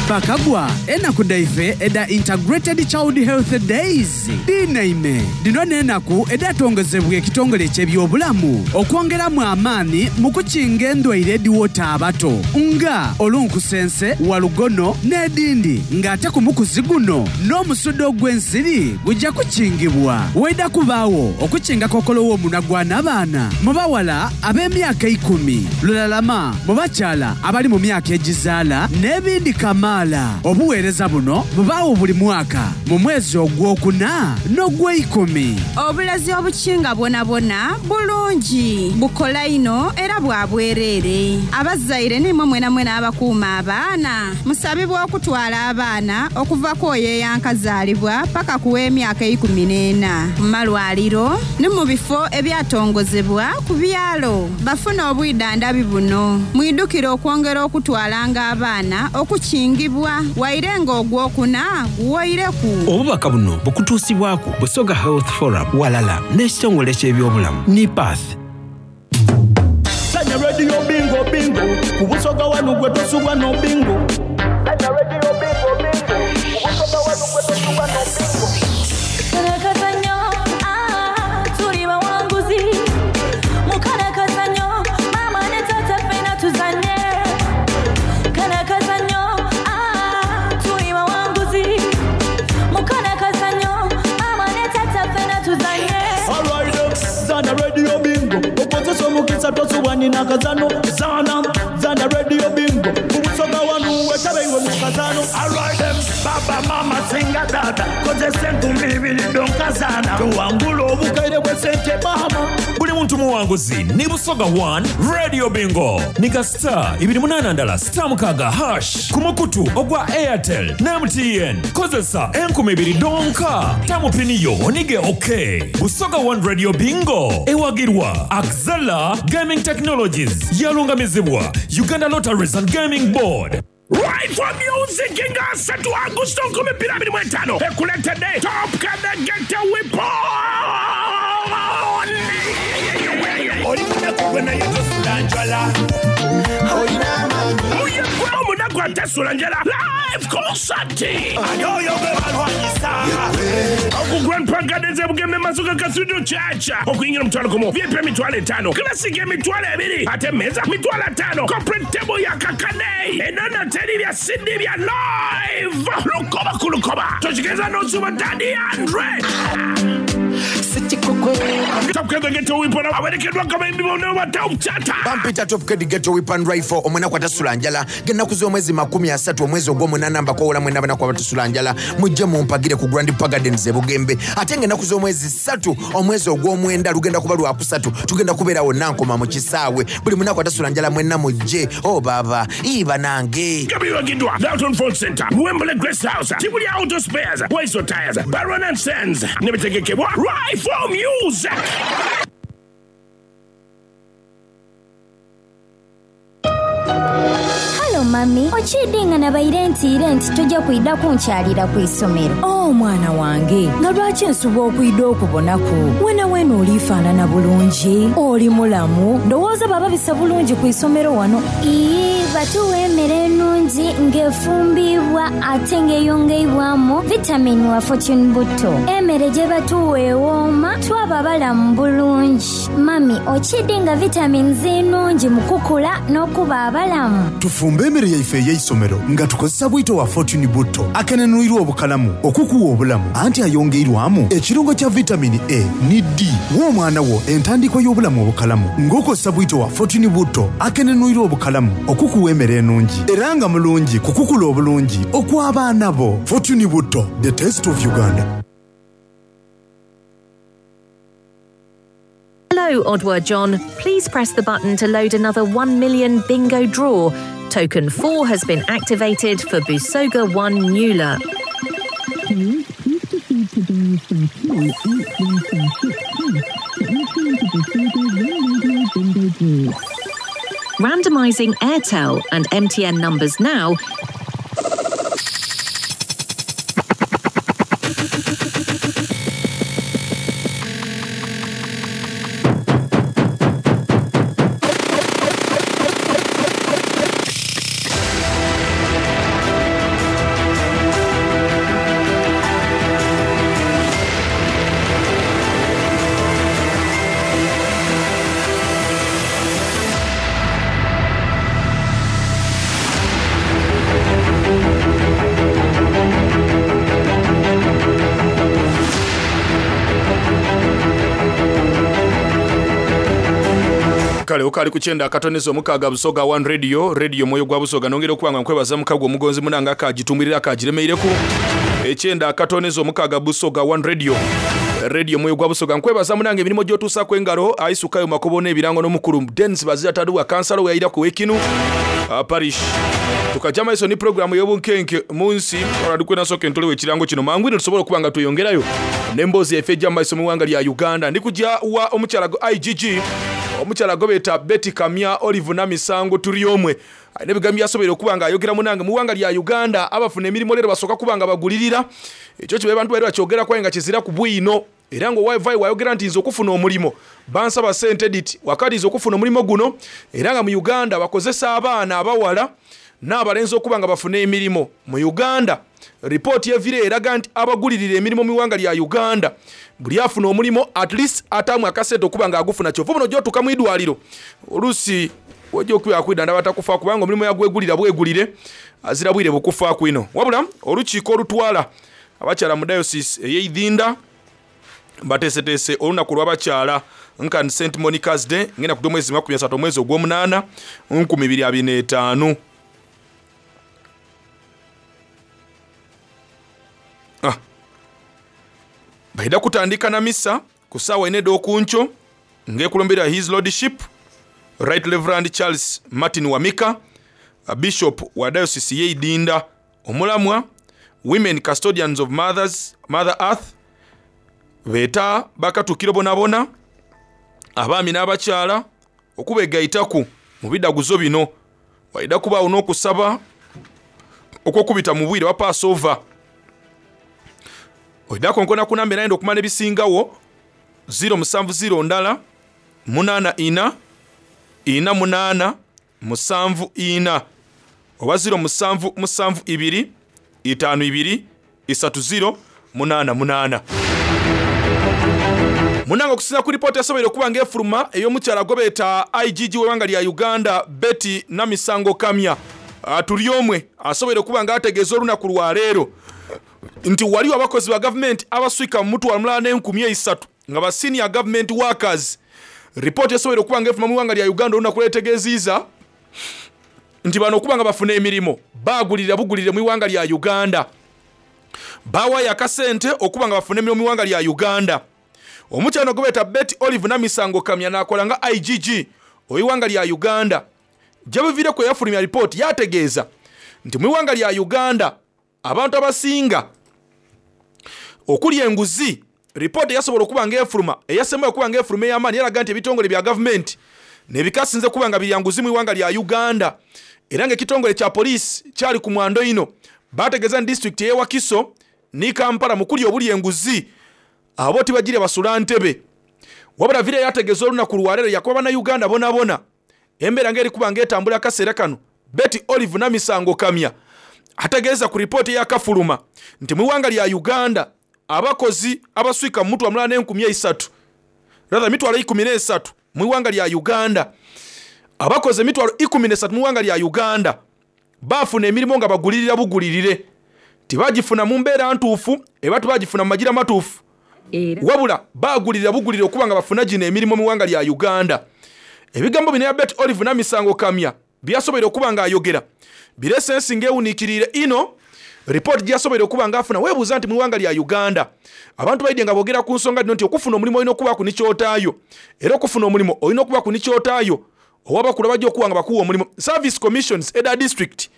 Bakagwa enaku daife eda Integrated Child Health Days dinaime dino n'enaku edatongezebwa ekitongole eky'ebyobulamu okwongeramu amaani mu kukinga endwaire ediwota abato nga olunkusense, walugono n'edindi ng'ate ku mukuzi guno n'omusudo ogw'ensiri gujja kukingibwa. Waida kubaawo okukinga kokolo w'omunwa gwa n'abaana mu bawala ab'emyaka ikumi, lulalama mu bakyala abali mu myaka egizaala n'ebindi kama. Obuweereza buno bubaawo buli mwaka mu mwezi ogwokuna n'ogweikumi. Obulazi obukinga bwonabwona bulungi bukola ino era bwa bwereere. Abazaire nimwe mwena mwena abakuuma abaana musabibwa okutwala abaana okuva ku oyo eyankazaalibwa paka ku w'emyaka eikumi n'ena mu malwaliro ne mu bifo ebyatongozebwa ku byalo bafune obwidandabi buno. Mwidukire okwongera okutwalanga abaana okukinga waire ng'ogwokuna guwoireku. Obubaka buno bukutuusibwako Busoga Health Forum walala n'ekitongole ky'ebyobulamu NIPATH. Sanya radio bingo bingo ku Busoga wanu gwe tosubwa no bingo. Sanya radio bingo bingo ku Busoga wanu gwe tosubwa no bingo. Kalakazanyo, ah, tuli bawanguzi. Mukalakazanyo, mama ne tata ffenna tuzanye. Kalakazanyo, ah, tuli bawanguzi. Mukalakazanyo, mama ne tata ffenna tuzanye. Alright, zana radio bingo okozesa omukisa tosubwa nina kazano. Zana zana radio bingo ku Busoga wanu wetabe iwe mu kazano. Alright, baba mama singa dada kozesa enkumbi ibiri donkazana tuwangula obukaire bw'essente mama. Buli muntu muwanguzi ni Busoga one Radio Bingo nika star ibiri munana ndala star mukaga hash ku mukutu ogwa Airtel na M T N kozesa enkumi ibiri donka tamupiniyo onige okay. Busoga one Radio Bingo ewagirwa Axela Gaming Technologies yalungamizibwa Uganda Lotteries and Gaming Board. Right for music nga asatu Agusto nkumi bbiri abiri mu etaano ekuleetedde Top Kadagete Weapon. Oli munaku gwe naye tosula njala. Oye gwe omunaku atasula njala. Live concert. Ani oyo gwe balwanyisa? Oku Grand Park Gardens e Bugembe Masuka Cathedral Church. Okuyingira omutwalo gumu, V I P emitwalo etaano, Classic emitwalo ebiri, ate emmeeza mitwalo ataano, Corporate table ya kakane, enono teri bya C D bya live. Lukoba ku lukoba. Tokigeza n'osuba Daddy Andre. Top Kid Ghetto Weapon awerekeddwa abayimbi bonna ba Top Chata. Bampita Top Kid Ghetto Weapon Rifle omwenaku atasula njala ng'ennaku z'omwezi makumi asatu omwezi ogw'omunaana mbakoowola mwenna abanaku abatasula njala mujje mumpagire ku Grand Park Gardens e Bugembe. Ate ng'ennaku z'omwezi ssatu omwezi ogw'omwenda lugenda kuba lwakusatu tugenda kubeera wonna nkoma mu kisaawe. Buli munaku atasula njala mwenna mujje. Oh baba iba nange. Gabiwagiddwa Dalton Phone Center, Wembley Grace House, Tibuli Auto Spares, Waiso Tires, Baron and Sons ne bitegekebwa Rifle Music. mami okiidinga nabaire ntiire nti tojja kwidda kunkyalira ku isomero. Oh, mwana wange nga lwaki nsuba okwidda okubonaku wena wena oliifaanana bulungi oli mulamu ndowooza bababisa bulungi ku isomero wano. Ii batuwa emmere ennungi ng'efumbibwa ate ng'eyongeibwamu vitamini wa Fortune Butto. Emmere gye batuwa ewooma twaba balamu bulungi. Mami okidinga vitamini ennungi mu kukula n'okuba abalamu. Tufumbe emmere yaife ey'eisomero nga tukozesa bwito wa Fortune Butto akenenwirwa obukalamu okukuwa obulamu anti ayongeirwamu ekirungo kya vitamini A ni D w'omwana wo entandikwa y'obulamu obukalamu ng'okozesa bwito wa Fortune Butto akenenwirwa obukalamu okukuwa emmere ennungi era nga mulungi kukukula obulungi okw'abaana bo. Fortune Butto, the taste of Uganda. Hello, Odward John. Please press the button to load another one million bingo draw. Token four has been activated for Busoga one Nula. Please, please proceed to dial star two eight one star six hash to enter into Busoga one radio bingo draw. Randomising Airtel and M T N numbers now. Kale okali kuchenda akatonezo omukaga Busoga one Radio, radio moyo gwa Busoga nongera okubanga nkwebaza mukago omugonzi munanga akagitumwirira akagiremeireko. Ekyenda akatonezo omukaga Busoga one Radio, radio moyo gwa Busoga nkwebaza munanga emirimu gy'otuusaako engalo aisukayo makobo n'ebirango n'omukulu Dennis Bazira Taduwa kansala we yayira ku Wekinu uh, parish. Tukajja maiso ni programu y'obunkenke mu nsi olwa soke ntolewo ekirango kino mangu ino tusobola okuba nga tweyongerayo n'emboozi yaffe ejja mu maiso mu ggwanga lya Uganda. Ndi kujja wa omukyala I G G omukyala gobeta Betty Kamya Olive Namisango Turyomwe alina ebigambo byasobola okuba nga ayogera munange mu ggwanga lya Uganda abafuna emirimu leero basooka kuba nga bagulirira ekyo kibe bantu baali bakyogera kwaye nga kizira ku bwino era nga wifi wayogera nti nze okufuna omulimu bansaba ssente edit wakati nze okufuna omulimu guno era nga mu Uganda bakozesa abaana abawala n'abalenzi okuba nga bafuna emirimu mu Uganda. Ripooti evire eraga nti abagulirira emirimu mu ggwanga lya Uganda buli afuna omulimu at least atamu akasente okuba nga agufuna kyova buno gy'otuuka mu idwaliro oluusi wajja okuba akwidda ndaba takufa kubanga omulimu yagwegulira bwegulire azira bwire bukufa kwino. Wabula olukiiko olutwala abakyala mu diocese ey'Idinda bateeseteese olunaku lw'abakyala nkan Saint Monica's Day ngenda ku mwezi makumi asatu omwezi ogw'omunaana nkumi bibiri abiri n'etaano. Ah. Baida kutandika na misa ku ssaawa ena ed'okunkyo ng'ekulumbira His Lordship Right Reverend Charles Martin Wamika, Bishop wa Diocese y'Idinda, omulamwa Women Custodians of Mothers, Mother Earth, beeta bakatukiro bonabona abaami n'abakyala okubegaitaku mu bidaguzo bino. Waida kubaawo n'okusaba okw'okubita mu bwire wa Passover. Oidako nkona kunambe naye okumanya ebisingawo zero musanvu zero ndala munaana ina ina munaana musanvu ina oba zero musanvu musanvu ibiri itaano ibiri isatu zero munaana munaana. Munango okusinziira ku ripooti yasoboire okuba ng'efuluma ey'omukyala gobeta I G G w'eggwanga lya Uganda Betty Namisango Kamya Turyomwe asoboire okuba ng'ategeeza olunaku lwa leero nti waliwo abakozi ba gavumenti abaswika mu mutwalo mulala n'enkumi esatu nga ba senior government workers. Ripooti yasoboire okuba ng'efuluma mu ggwanga lya Uganda olunaku lwetegeeziza nti bano okuba nga bafuna emirimu baagulirira bugulirire mu ggwanga lya Uganda, bawaayo akasente okuba nga bafuna emirimu mu ggwanga lya Uganda. Omukyala gobeta Betty Olive Namisango Kamya n'akola nga I G G ow'eggwanga lya Uganda gye buviireko yafulumya ripooti yategeeza nti mu ggwanga lya Uganda abantu abasinga okulya enguzi. Ripooti yasobola okuba ng'efuluma eyasembayo okuba ng'efuluma ey'amaanyi yalaga nti ebitongole bya gavumenti nebikasinze kuba nga birya nguzi mu ggwanga lya Uganda Era ng'ekitongole kya poliisi kyali ku mwando ino bategeeza ni disitulikiti ey'e Wakiso ni Kampala mu kulya obulya enguzi abo tibagire basula ntebe. Wabula vire yategeeza olunaku lwaleero yakuba bannayuganda bonabona embeera ng'eri kuba ng'etambula akaseera kano. Betty Olive Namisango Kamya ategeeza ku ripooti eyakafuluma nti mu ggwanga lya Uganda abakozi abaswika mu mutwalo mulala n'enkumi esatu rather mitwalo ikumi n'esatu mu ggwanga lya Uganda, abakozi emitwalo ikumi n'esatu mu ggwanga lya Uganda baafuna emirimu nga bagulirira bugulirire, tibagifuna mu mbeera ntuufu eba tibagifuna mu magira matuufu, wabula bagulirira bugulirire okuba nga bafuna gino emirimu mu ggwanga lya Uganda. Ebigambo bino ya Betty Olive Namisango Kamya byasoboire okuba nga ayogera birese ensi ng'ewuniikiriire ino ripooti gyasoboire okuba nga afuna. Weebuuza nti mu ggwanga lya Uganda abantu baidye nga boogera ku nsonga dino nti okufuna omulimu olina okubaku ni kyotaayo, era okufuna omulimu olina okubaku ni kyotaayo owabakulu abajja okuba nga bakuwa omulimu. Service commissions eda district,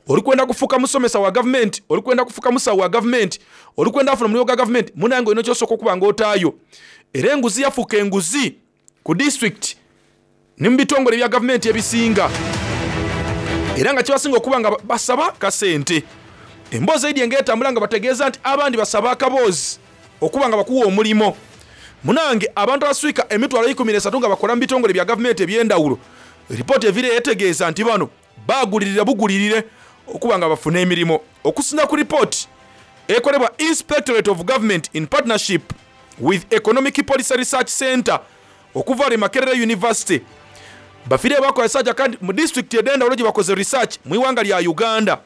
olikwenda kufuuka musomesa wa gavumenti, olikwenda kufuuka musawo wa gavumenti, olikwenda afuna omulimu gwa gavumenti, munange olina kyosooka okuba nga otaayo. Era enguzi yafuuka enguzi ku district ne mu bitongole bya gavumenti ebisinga, era nga kibasinga okuba nga basaba kasente. Emboozi eidye ng'etambula nga bategeeza nti abandi basaba akaboozi okuba nga bakuwa omulimo. Munange abantu abaswika emitwalo ikumi n'esatu nga bakola mu bitongole bya gavumenti eby'endawulo, ripooti evire yetegeeza nti bano bagulirira bugulirire okuba nga bafuna emirimu. Okusinza ku ripooti ekolebwa Inspectorate of Government in partnership with Economic Policy Research Center okuva e Makerere University, bafire bakola research kandi mu disitulikiti ed'endawulo gye bakoze research mu ggwanga lya Uganda.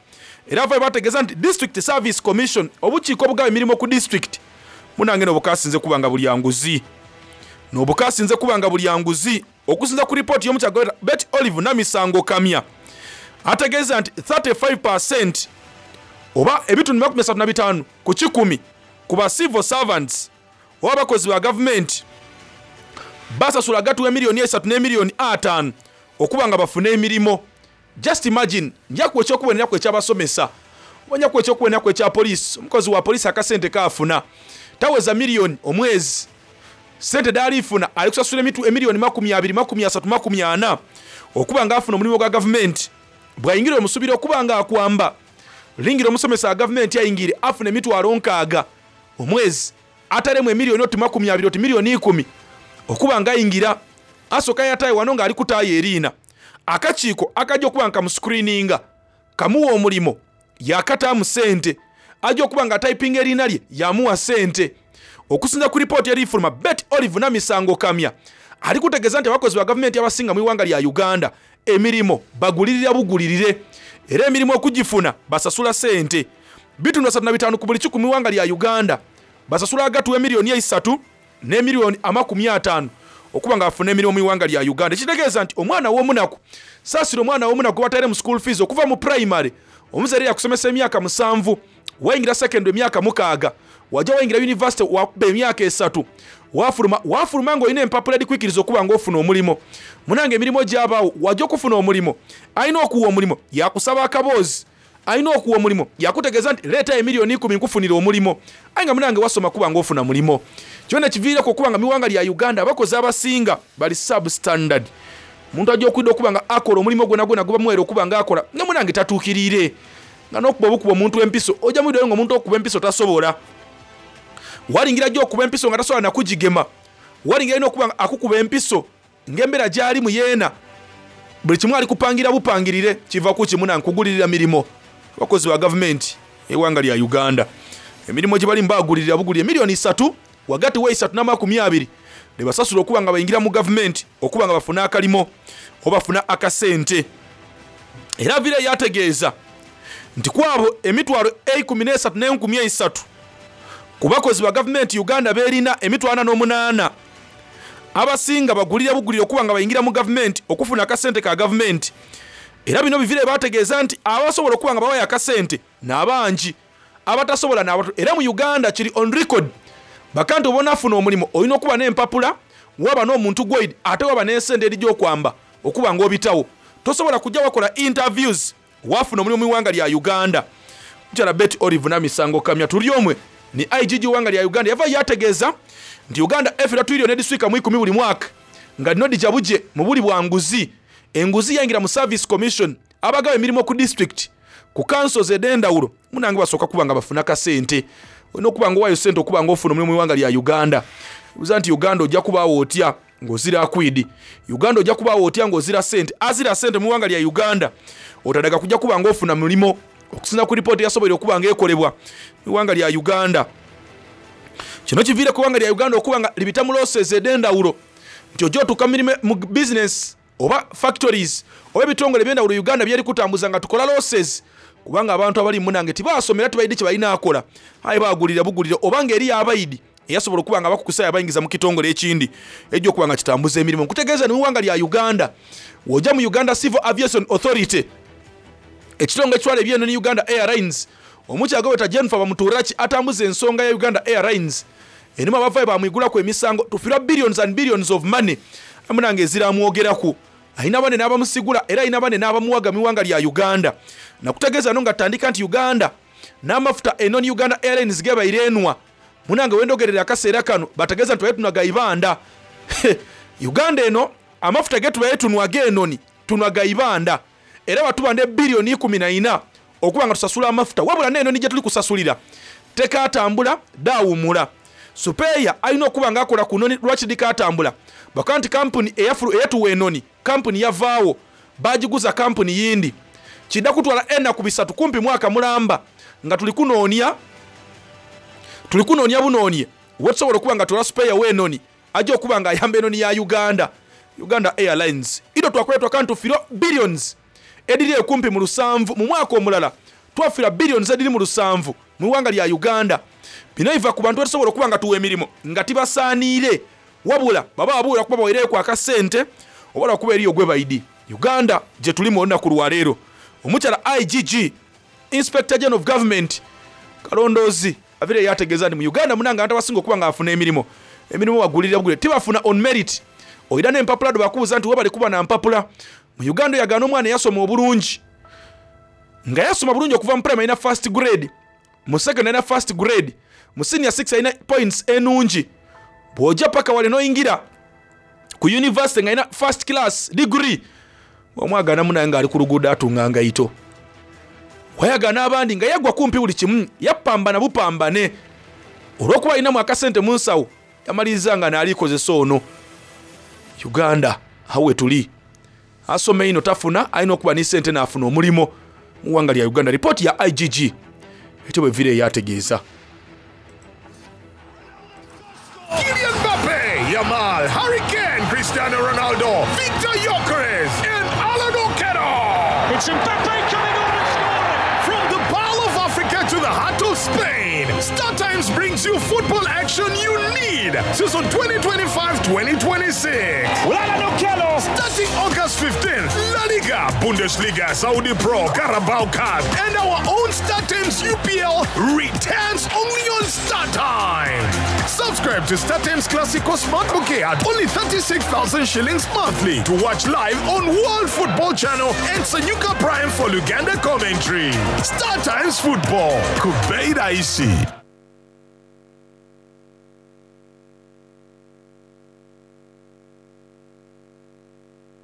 Era avayo bategeeza nti District Service Commission, obukiiko obugaba emirimu ku disitulikiti, munange n'obukasinze kuba nga bulya nguzi, n'obukasinze kuba nga bulya nguzi. Okusinza ku ripooti y'omukyala Betty Olive Namisango Kamya ategeeza nti thirty-five percent oba ebitundu makumi asatu na bitaano ku kikumi ku ba civil servants oba abakozi ba gavumenti basasula agatuwa emiliyoni esatu n'emiliyoni ataano okuba nga bafune emirimu. Just imagine, nja kuwa ekyokuboneraku ekyabasomesa oba nja kuwa ekyokuboneraku ekya poliisi. Omukozi wa poliisi akasente kaafuna taweza miliyoni omwezi, sente daalifuna ali kusasula emiliyoni makumi abiri, makumi asatu, makumi ana okuba nga afuna omulimu gwa gavumenti. Bw'ayingira omusubira okuba nga akwamba, lingira omusomesa wa gavumenti ayingire afuna emitwalo nkaaga omwezi, atalemu emiliyoni oti makumi abiri oti miliyoni ikumi okuba nga ayingira asooka yataye wano ng'ali kutaayo eriina. Akakiiko akajja okuba nga kamuscreeninga kamuwa omulimo yakataamu ssente, ajja okuba nga typinga eriina lye yamuwa ssente. Okusinza ku ripooti erifuluma, Betty Olive Namisango Kamya ali kutegeeza nti abakozi ba gavumenti abasinga mu ggwanga lya Uganda emirimu bagulirira bugulirire, era emirimu okugifuna basasula ssente. Bitundu asatu na bitaano ku buli kikumi mu ggwanga lya Uganda basasula agatuwa emiliyoni esatu n'emiliyoni amakumi ataano okuba nga bafuna emirimu mu ggwanga lya Uganda. Ekitegeeza nti omwana w'omunaku, saasira omwana w'omunaku gwe batayire mu school fees okuva mu primary, omuzaire yakusomesa emyaka musanvu, wayingira secondary emyaka mukaaga, wajja wayingira university wakuba emyaka esatu, wafuluma, wafuluma ng'olina empapula edikwikiriza okuba ng'ofuna omulimo. Munange emirimu gyabaawo, wajja okufuna omulimo, alina okuwa omulimo yakusaba akaboozi, alina okuwa omulimo yakutegeeza nti leeta emiliyoni ikumi nkufunira omulimo, aye nga munange wasoma kuba ng'ofuna mulimo. Kyona kiviireko okuba nga mu ggwanga lya Uganda abakozi abasinga bali substandard. Omuntu ajja okwidda okuba nga akola omulimu gwona gwona gubamuweera okuba nga akola, ne munange tatuukiriire. Nga n'okuba obukuba omuntu empiso, ojja mwiddayo ng'omuntu okuba empiso tasobola. Walingira ajja okuba empiso nga tasobola nakugigema. Walingira alina okuba nga akukuba empiso ng'embeera gy'alimu yeena, buli kimu ali kupangira bupangirire, kiva ku kimu na nkugulirira mirimu. Abakozi ba gavumenti eggwanga lya Uganda emirimu gye balimu bagulirira bugulire miliyoni isatu wagati wa isatu n'amakumi abiri ne basasula okuba nga bayingira mu gavumenti okuba nga bafuna akalimo oba bafuna akasente. Era vire yategeeza nti kwabo emitwalo eikumi n'esatu n'enkumi eisatu ku bakozi ba gavumenti Uganda beerina emitwalo ana n'omunaana abasinga bagulira bugulire okuba nga bayingira mu gavumenti okufuna akasente ka gavumenti. Era bino bivire bategeeza nti abasobola okuba nga bawayo akasente n'abangi, abatasobola n'abato. Era mu Uganda kiri on record bakanti oba onaafuna omulimu olina okuba n'empapula, waba n'omuntu gwoidi, ate waba n'ensente eri gy'okwamba okuba ng'obitawo. Tosobola kujja wakola interviews wafuna omulimu mu ggwanga lya Uganda. Mukyala Betty Olive Namisango Kamya tuli omwe ni I G G w'eggwanga lya Uganda yava yategeeza nti Uganda efera twiliyoni ediswika mu ikumi buli mwaka nga lino lijja buje mu buli bwanguzi. Enguzi yayingira mu Service Commission, Abagaba emirimu ku district ku councils ed'endawulo munange basooka kuba nga bafuna kasente. Olina okuba nga owaayo sente okuba nga ofuna omulimu mu iwanga lya Uganda. Buza nti Uganda ojja kubaawo otya ng'ozira akwidi? Uganda ojja kubaawo otya ng'ozira sente? Azira sente mu iwanga lya Uganda otadaga kujja kuba nga ofuna mulimo okusinza ku ripooti yasoboire okuba nga ekolebwa mu iwanga lya Uganda. Kino kiviire ku iwanga lya Uganda okuba nga libita mu losses ed'endawulo nti ojja otuuka mu business oba factories oba ebitongole eby'endawulo Uganda byeri kutambuza nga tukola losses kubanga abantu abali munange tibasomera tibaidi kye balina akola aye bagulira bugulira oba ng'eri abayidi eyasobola okuba nga bakukusa abayingiza mu kitongole ekindi ejja okuba nga kitambuza emirimu. Nkutegeeza ni mu ggwanga lya Uganda w'ojja mu Uganda Civil Aviation Authority ekitongole ekitwala eby'ennyonyi Uganda Airlines omukyaga weta Jennifer Bamuturaki atambuza ensonga ya Uganda Airlines enimu abavayo bamwigulaku emisango tufirwa billions and billions of money amunange eziramwogeraku alina bane n'abamusigula era alina bane n'abamuwaga mu ggwanga lya Uganda. Nakutegeeza no nga tandika nti Uganda n'amafuta enoni Uganda Airlines gebaire enwa munange wendogerera akaseera kano bategeeza nti tubaye tunwaga ibanda. Uganda eno amafuta ge tubaye tunwaga enoni tunwaga ibanda era batubanda biliyoni ikumi na ina okuba nga tusasula amafuta wabula n'enoni gye tuli kusasulira tekatambula daawumula. Supeya alina okuba nga akola ku noni lwaki dikatambula baka nti kampuni eyatuwa enoni kampuni yavaawo bagiguza kampuni yindi kidda kutwala enaku bisatu kumpi mwaka mulamba nga tuli kunoonya tuli kunoonya bunoonie wetusobola okuba nga tula supeya w'enoni ajja okuba nga ayamba enoni ya Uganda Uganda Airlines ido twakwetwa kantu firo billions ediri ekumpi mu lusanvu mu mwaka omulala twafira billions ediri mu lusanvu mu ggwanga lya Uganda. Bino biva ku bantu batusobola okuba nga tuwa emirimu nga tibasaaniire wabula baba babuulira kuba baweereyo akasente oba lwakuba eriyo gwe bayidi. Uganda gye tulimu olunaku lwaleero omukyala I G G Inspector General of Government Kalondoozi avire yategeeza nti mu Uganda munange abantu abasinga okuba nga bafuna emirimu emirimu bagulirira bugule tibafuna on merit. Oyina n'empapula do bakubuuza nti webale kuba na mpapula. Mu Uganda oyagaana omwana eyasoma obulungi nga yasoma bulungi okuva mu primary alina first grade, mu second alina first grade, mu senior six alina points enungi, bw'ojja paka wale n'oyingira ku university nga alina first class degree omwagaana munaye ng'ali ku luguudo atunga ngayito. Wayagaana abandi nga yagwa kumpi buli kimu yapambana bupambane olw'okuba alinamu akasente mu nsawo yamaliriza nga n'alikozesa ono. Uganda awo we tuli asoma ino tafuna alina okuba ne ssente n'afuna omulimo mu ggwanga lya Uganda. Ripooti ya I G G ekyo bwe vire yategeeza. Kylian Mbappe, Yamal, Harry Kane, Cristiano Ronaldo, Victor Gyökeres, and Alan Okello. It's Mbappe coming on and scoring. From the Pearl of Africa to the heart of Spain, Star Times brings you football action you need. Season twenty twenty-five twenty twenty-six. Alan Okello. Starting August fifteenth, La Liga, Bundesliga, Saudi Pro, Carabao Cup, and our own Star Times U P L returns only on Star Times. Subscribe to Star Times Classico Smart Bouquet at only thirty-six thousand shillings monthly to watch live on World Football Channel and Sanyuka Prime for Uganda commentary. Star Times Football. Kubeira Isi.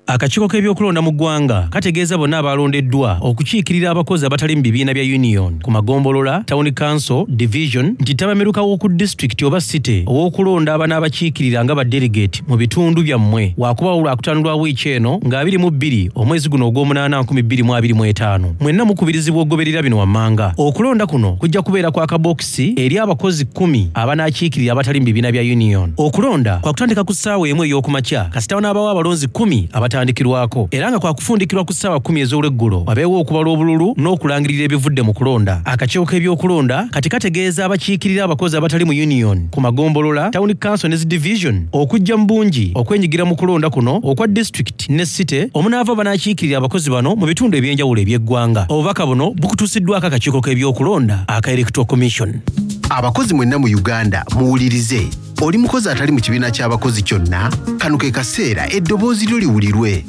Akakiiko k'ebyokulonda mu ggwanga kategeeza bonna abalondeddwa okukiikirira abakozi abatali mu bibiina bya union ku magombolola, town council, division nti ttabamiruka w'oku disitulikiti oba city ow'okulonda abanaabakiikirira nga ba delegate mu bitundu byammwe waakubaawo lwakutaano lwa wiiki eno nga abiri mu bbiri omwezi guno ogw'omunaana nkumi bbiri mu abiri mu etaano. Mwenna mukubirizibwa okugoberera bino wammanga. Okulonda kuno kujja kubeera kwa kabokisi eri abakozi kkumi abanaakiikirira abatali mu bibiina bya union. Okulonda kwa kutandika ku ssaawa emu ey'okumakya kasita wanaabawo abalonzi kkumi abatandikirwako era nga kwa kufundikirwa ku ssaawa kkumi ez'olweggulo wabeewo okubala obululu n'okulangirira ebivudde mu kulonda. Akakiiko k'ebyokulonda kati kategeeza abakiikirira abakozi abatali mu union ku magombolola, town council ne division okujja mu bungi okwenyigira mu kulonda kuno okwa district ne city omunaava banaakiikirira abakozi bano mu bitundu eby'enjawulo eby'eggwanga. Obubaka buno bukutuusiddwako akakiiko k'ebyokulonda aka Electoral Commission. Abakozi mwenna mu Uganda muwulirize. Oli mukozi atali mu kibiina ky'abakozi kyonna, kano ke kaseera eddoboozi lyo liwulirwe.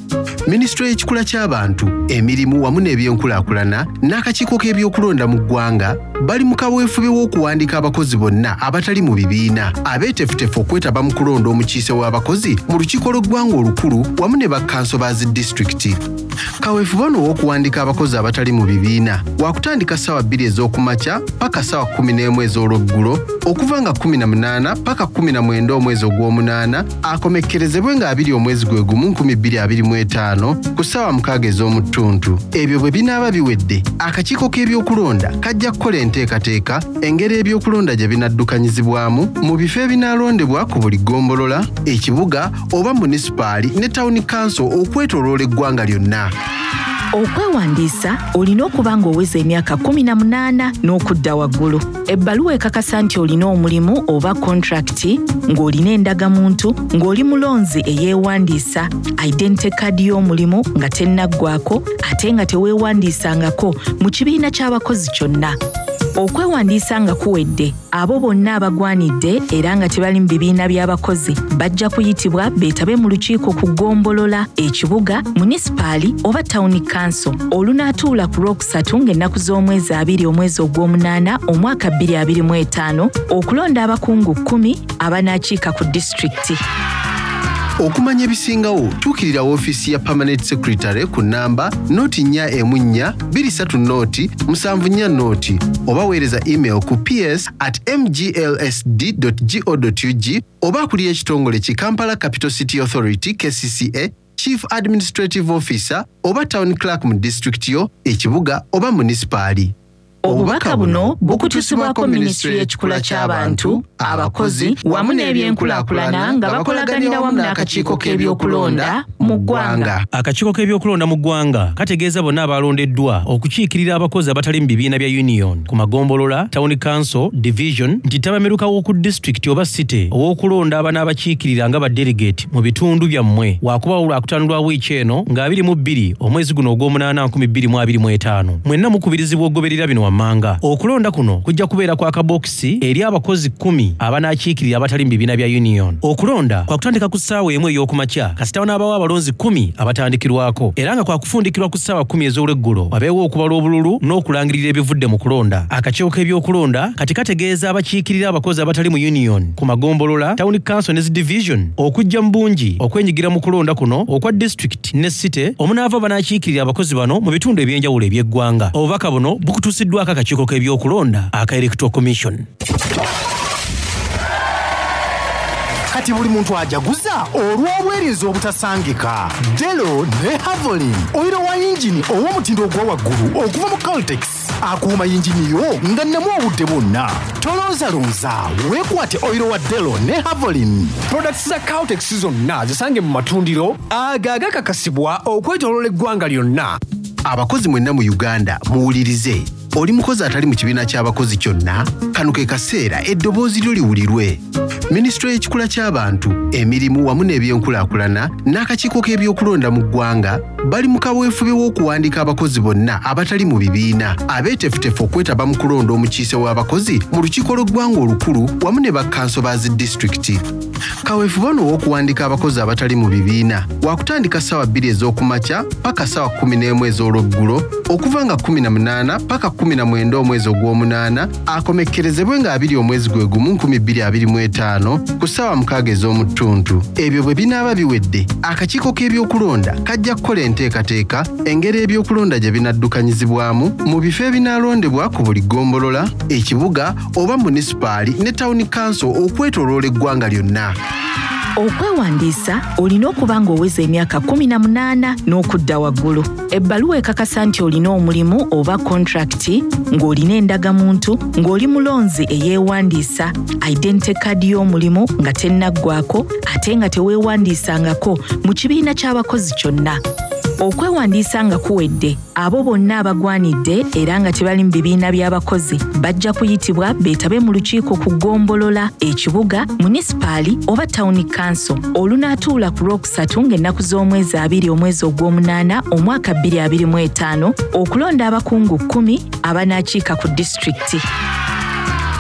Minisitule y'ekikula ky'abantu, emirimu wamu n'ebyenkulaakulana n'akakiiko k'ebyokulonda mu ggwanga Bali mu kaweefube w'okuwandiika abakozi bonna abatali mu bibiina abeeteefuteefu okwetaba mu kulonda omukiise w'abakozi mu lukiiko lw'eggwanga olukulu wamu ne bakkanso ba zi disitulikiti. Kaweefube ono ow'okuwandiika abakozi abatali mu bibiina wakutandika ssaawa bbiri ez'okumakya paka ssaawa kkumi n'emu ez'olweggulo okuva nga kkumi na munaana paka kkumi na mwenda omwezi ogw'omunaana, akomekkerezebwe nga abiri omwezi gwe gumu nkumi bbiri abiri mu etaano ku ssaawa mukaaga ez'omu ttuntu. Ebyo bwe binaaba biwedde, akakiiko k'ebyokulonda kajja kukola enteekateeka engeri ebyokulonda gye binaddukanyizibwamu mu bifo ebinaalondebwa ku buli ggombolola, ekibuga oba munisipaali ne tawuni kanso okwetooloola eggwanga lyonna. Okwewandiisa olina okuba ng'oweza emyaka kkumi na munaana n'okudda waggulu. Ebbaluwa ekakasa nti olina omulimu oba kontrakiti, ng'olina endagamuntu, ng'oli mulonzi eyeewandiisa, identity card y'omulimu nga tennaggwako ate nga teweewandiisangako mu kibiina ky'abakozi kyonna. Okwewandiisa nga kuwedde, abo bonna abagwanidde era nga tebali mu bibiina by'abakozi bajja kuyitibwa beetabe mu lukiiko ku ggombolola, ekibuga, munisipaali oba tawuni kanso olunaatuula ku Lwokusatu ng'ennaku z'omwezi abiri omwezi ogw'omunaana omwaka bbiri abiri mu etaano okulonda abakungu kkumi abanaakiika ku disitulikiti. Okumanya ebisingawo, tuukirira woofiisi ya Permanent Secretary ku nnamba noti nnya emu nnya bbiri ssatu noti musanvu nnya noti oba weereza email ku P S at M G L S D go dot U G oba akulira ekitongole ki Kampala Capital City Authority K C C A, Chief Administrative Officer oba Town Clerk mu disitulikiti yo, ekibuga oba munisipaali. Obubaka buno bukutuusibwako Minisitule y'Ekikula ky'Abantu, Abakozi wamu n'Ebyenkulaakulana nga bakolaganira wamu n'akakiiko k'ebyokulonda mu ggwanga. Akakiiko k'ebyokulonda mu ggwanga kategeeza bonna abalondeddwa okukiikirira abakozi abatali mu bibiina bya union ku magombolola, town council, division nti ttabamiruka w'oku disitulikiti oba city ow'okulonda abanaabakiikirira nga ba delegate mu bitundu byammwe waakubawo Lwakutaano lwa wiiki eno nga abiri mu bbiri omwezi guno ogw'omunaana nkumi bbiri mu abiri mu etaano. Mwenna mukubirizibwa okugoberera bino wammanga. Okulonda kuno kujja kubeera kwa kabokisi eri abakozi kkumi abanaakiikirira abatali mu bibiina bya union. Okulonda kwakutandika ku ssaawa emu ey'okumakya kasita wanaabawo abalonzi kkumi abatandikirwako, era nga kwakufundikirwa ku ssaawa kkumi ez'olweggulo wabeewo okubala obululu n'okulangirira ebivudde mu kulonda. Akakiiko k'ebyokulonda kati kategeeza abakiikirira abakozi abatali mu union ku magombolola, town council ne zi division okujja mu bungi okwenyigira mu kulonda kuno okwa disitulikiti ne city omunaava banaakiikirira abakozi bano mu bitundu eby'enjawulo eby'eggwanga. Obubaka buno bukutuusiddwako akakiiko k'ebyokulonda aka Electoral Commission. Kati buli muntu ajaguza olw'obwerinzi obutasangika. Delo ne Havolin, oyiro wa yingini ow'omutindo ogwa waggulu okuva mu Caltex, akuuma yingini yo nga nnemu obudde bwonna. Tolonzalonza, weekwate oyiro wa Delo ne Havolin. Products za Caltex zonna zisange mu matundiro ago agakakasibwa okwetooloola eggwanga lyonna. Abakozi mwenna mu Uganda muwulirize. Oli mukozi atali mu kibiina ky'abakozi kyonna, kano ke kaseera eddoboozi lyo liwulirwe. Minisitule y'Ekikula ky'Abantu, Emirimu wamu n'Ebyenkulaakulana n'akakiiko k'ebyokulonda mu ggwanga bali mu kaweefube w'okuwandiika abakozi bonna abatali mu bibiina abeeteefuteefu okwetaba mu kulonda omukiise w'abakozi mu lukiiko lw'eggwanga olukulu wamu ne bakkanso ba zi disitulikiti. Kaweefube ono ow'okuwandiika abakozi abatali mu bibiina wakutandika ssaawa bbiri ez'okumakya paka ssaawa kkumi n'emu ez'olweggulo okuva nga kkumi na munaana paka kkumi na mwenda omwezi ogw'omunaana, akomekkerezebwe nga abiri omwezi gwe gumu nkumi bbiri abiri mu etaano ku ssaawa mukaaga ez'omu ttuntu. Ebyo bwe binaaba biwedde, akakiiko k'ebyokulonda kajja kukola enteekateeka engeri ebyokulonda gye binaddukanyizibwamu mu bifo ebinaalondebwa ku buli ggombolola, ekibuga oba munisipaali ne tawuni kanso okwetooloola eggwanga lyonna. Okwewandiisa olina okuba ng'oweza emyaka kkumi na munaana n'okudda waggulu. Ebbaluwa ekakasa nti olina omulimu oba kontrakiti, ng'olina endagamuntu, ng'oli mulonzi eyeewandiisa, identity card y'omulimu nga tennaggwako ate nga teweewandiisangako mu kibiina ky'abakozi kyonna. Okwewandiisa nga kuwedde, abo bonna abagwanidde era nga tebali mu bibiina by'abakozi bajja kuyitibwa beetabe mu lukiiko ku ggombolola, ekibuga, munisipaali oba tawuni kanso olunaatuula ku Lwokusatu ng'ennaku z'omwezi abiri omwezi ogw'omunaana omwaka bbiri abiri mu etaano okulonda abakungu kkumi abanaakiika ku disitulikiti.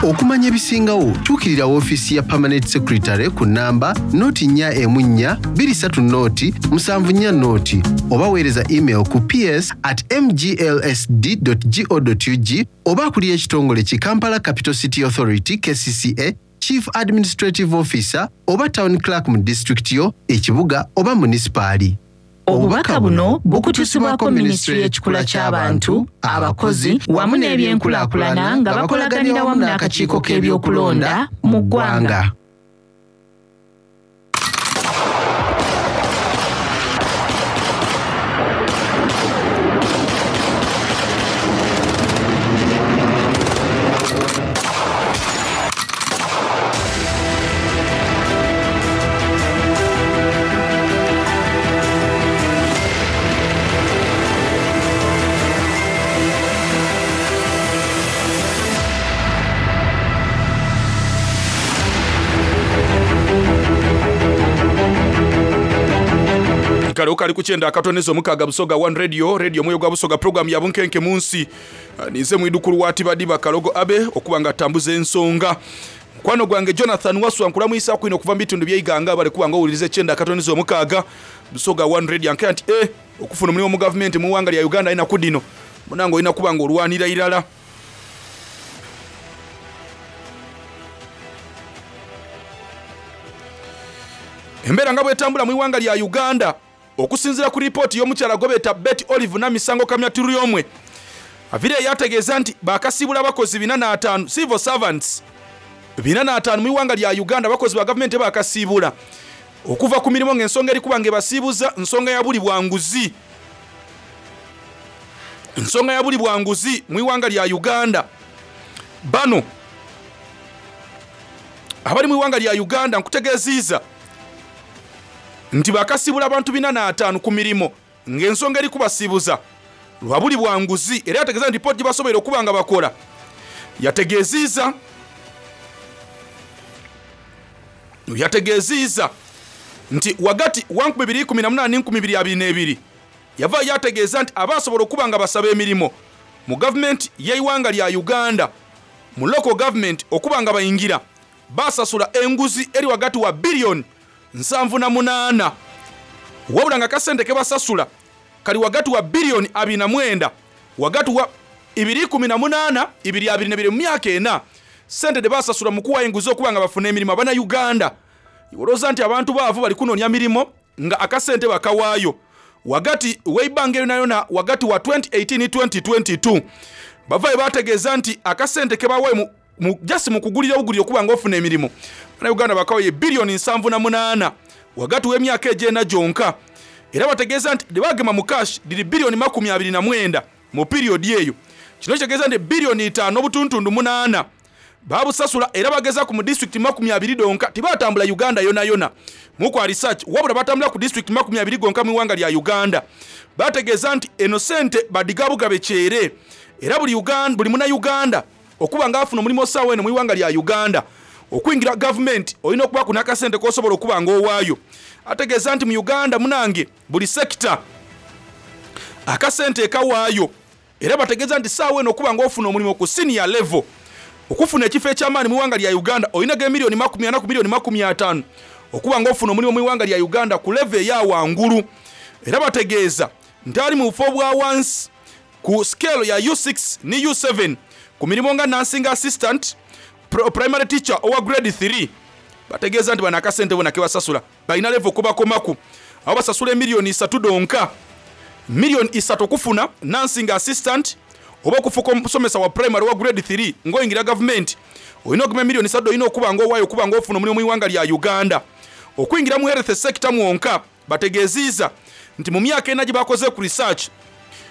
Okumanya ebisingawo tuukirira woofiisi ya Permanent Secretary ku nnamba noti nnya emu nnya bbiri ssatu noti musanvu nnya noti oba weereza email ku ps at mglsd go ug oba akulira ekitongole ki Kampala Capital City Authority K C C A, Chief Administrative Officer oba Town Clerk mu disitulikiti yo, ekibuga oba munisipaali. Obubaka buno bukutuusibwako Minisitule y'Ekikula ky'Abantu, Abakozi wamu n'Ebyenkulaakulana nga bakolaganira wamu n'akakiiko k'ebyokulonda mu ggwanga. Kale kali ku kyenda akatonezo omukaaga, Busoga One Radio, radio mwoyo gwa Busoga, program ya Bunkenke Munsi. Ah, ninze mwidukulu wa Tibadiba Kalogo Abe okuba nga atambuza ensonga. Mukwano gwange Jonathan Waswa, nkulamwisa kwino okuva mu bitundu by'Eiganga, bale kuba nga owuliriza ekyenda akatonezo omukaaga Busoga One Radio. Ankera nti eh, okufuna omulimu mu gavumenti mu ggwanga lya Uganda alina kudino munange olina kuba nga olwanira irala. Embeera nga bwetambula mu ggwanga lya Uganda, okusinziira ku ripooti y'omukyala gwe beeta Betty Olive Namisango Kamya Turyomwe, avire yategeeza nti bakasiibula abakozi bina n'ataano, civil servants bina n'ataano mu ggwanga lya Uganda. Abakozi ba gavumenti bakasiibula okuva ku mirimu ng'ensonga eri kuba ng'ebasiibuza nsonga ya buli bwanguzi, nsonga ya buli bwanguzi mu ggwanga lya Uganda. Bano abali mu ggwanga lya Uganda, nkutegeeziiza nti bakasiibula abantu bina n'ataano ku mirimu ng'ensonga eri kubasiibuza lwa buli bwanguzi. Era yategeeza nti ripooti gye basobola okuba nga bakola yategeeziiza yategeeziiza nti wagati wa nkumi bbiri kumi na munaana nkumi bbiri abiri n'ebiri yava yategeeza nti abasobola okuba nga basaba emirimu mu gavumenti y'eiwanga lya Uganda, mu local government, okuba nga bayingira basasula enguzi eri wagati wa biliyoni nsanvu na munaana, wabula nga kasente ke basasula kali wagati wa biliyoni abiri na mwenda wagati wa ibiri kumi na munaana ibiri abiri na ibiri. Mu myaka ena, sente de basasula mu kuwa enguzi okuba nga bafuna emirimu Abannayuganda, olowooza nti abantu baavu bali kunoonya mirimu nga akasente bakawaayo. Wagati w'eibanga eryo nayona, wagati wa twenty eighteen twenty twenty-two, bavaayo bategeeza nti akasente ke bawayo mu, mu, just mu kugulira obugulira okuba nga ofuna emirimu, Bannayuganda bakawayo biliyoni nsanvu na munaana wagati w'emyaka egyena gyonka. Era bategeeza nti tebagema mu cash diri biliyoni makumi abiri na mwenda mu period eyo. Kino kitegeeza nti biliyoni itaano obutuntundu munaana babusasula, era bageza ku mu disitulikiti makumi abiri donka. Tibatambula Uganda yona yona mukwa research, wabula batambula ku disitulikiti makumi abiri gonka mu ggwanga lya Uganda. Bategeeza nti eno sente badigabugabe kyere, era buli Uganda, buli Munnayuganda okuba nga afuna omulimu osaawa eno mu ggwanga lya Uganda, okuyingira gavumenti olina okuba ku n'akasente k'osobola okuba ng'owaayo. Ategeeza nti mu Uganda munange buli sekita akasente ekawaayo, era bategeeza nti saawa eno okuba ng'ofuna omulimu ku senior level, okufuna ekifo ekyamaanyi mu ggwanga lya Uganda, olina ge miliyoni makumi ana ku miliyoni makumi ataano okuba ng'ofuna omulimu mu ggwanga lya Uganda ku level eya wangulu. Era bategeeza nti ali mu bufo bwa wansi ku scale ya U six ne U seven ku mirimu nga nursing assistant, primary teacher owa grade three, bategeeza nti bano akasente bona kebasasula balina level kubakomaku abo basasula emiliyoni isatu donka, miliyoni isatu okufuna nursing assistant oba okufuuka omusomesa wa primary wa grade three. Ng'oyingira gavumenti olina okugema emiliyoni isatu, olina okuba ng'owaayo okuba ng'ofuna omulimu mu ggwanga lya Uganda. Okuyingira mu health sector mwonka, bategeeziiza nti mu myaka ena gye bakoze ku research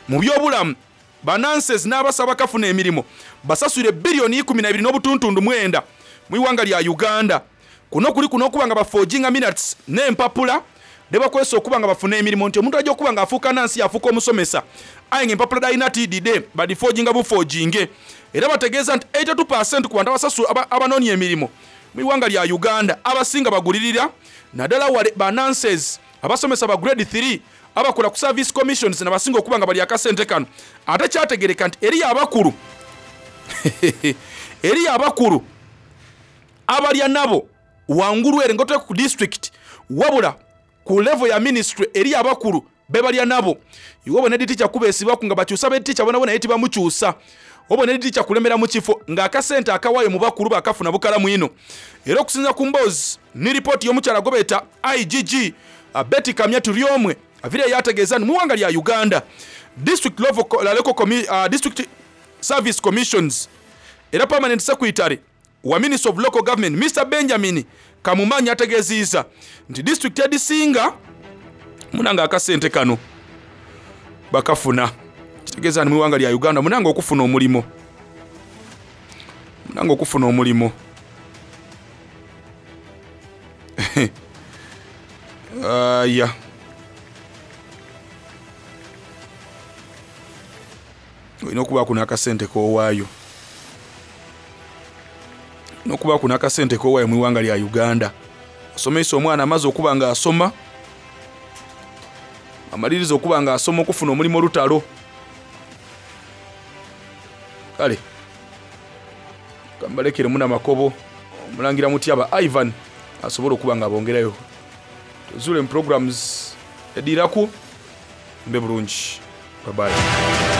mu byobulamu, ba nurses n'abasaba bakafuna emirimu basasule biliyoni ikumi na ibiri n'obutuntundu mwenda mu ggwanga lya Uganda. Kuno kuli kuno okuba nga baforginga minutes n'empapula ne bakozesa okuba nga bafuna emirimu, nti omuntu ajja okuba nga afuuka nansi, yafuuka omusomesa, aye nga empapula dalina tidide, badiforginga buforginge. Era bategeeza nti eighty-two ku bantu abasasu abanoonya emirimu mu ggwanga lya Uganda abasinga bagulirira, naddala wale ba nurses, abasomesa ba grade three, abakola ku service commissions nabasinga okuba nga bali akasente kano. Ate kyategereka nti eriyo abakulu Eriyo abakulu abalya nabo wangulu ere nga ku district, wabula ku level ya ministry eriyo abakulu bebalya nabo. Iwe obona editicha kubesibaku nga bakyusa beticha bonabona ye tibamukyusa. Obona editicha kulemera mu kifo ng'akasente akawayo mu bakulu bakafuna bukalamu ino. Era okusinza ku mboozi ni ripooti y'omukyala gwe beeta I G G Betty Kamya Turyomwe avire yategeeza nti mu ggwanga lya Uganda district level, local commi, uh, district service commissions era permanent secretary wa Ministry of Local Government Mister Benjamin Kamumanyi ategeziza nti district edisinga munanga akasente kano bakafuna. Kitegeeza ni mu ggwanga lya Uganda munanga okufuna omulimo, munanga okufuna omulimo. Aya, olina okubaako n'akasente k'owaayo, n'okubaako n'akasente k'owaayo mu ggwanga lya Uganda. Osomesa omwana amaze okuba nga asoma, amaliriza okuba nga asoma okufuna omulimu olutalo. Kale kambalekere muna makobo omulangira Mutyaba Ivan asobole okuba nga abongerayo. Tuzule mu programs ediraku mbe bulungi. Bye bye.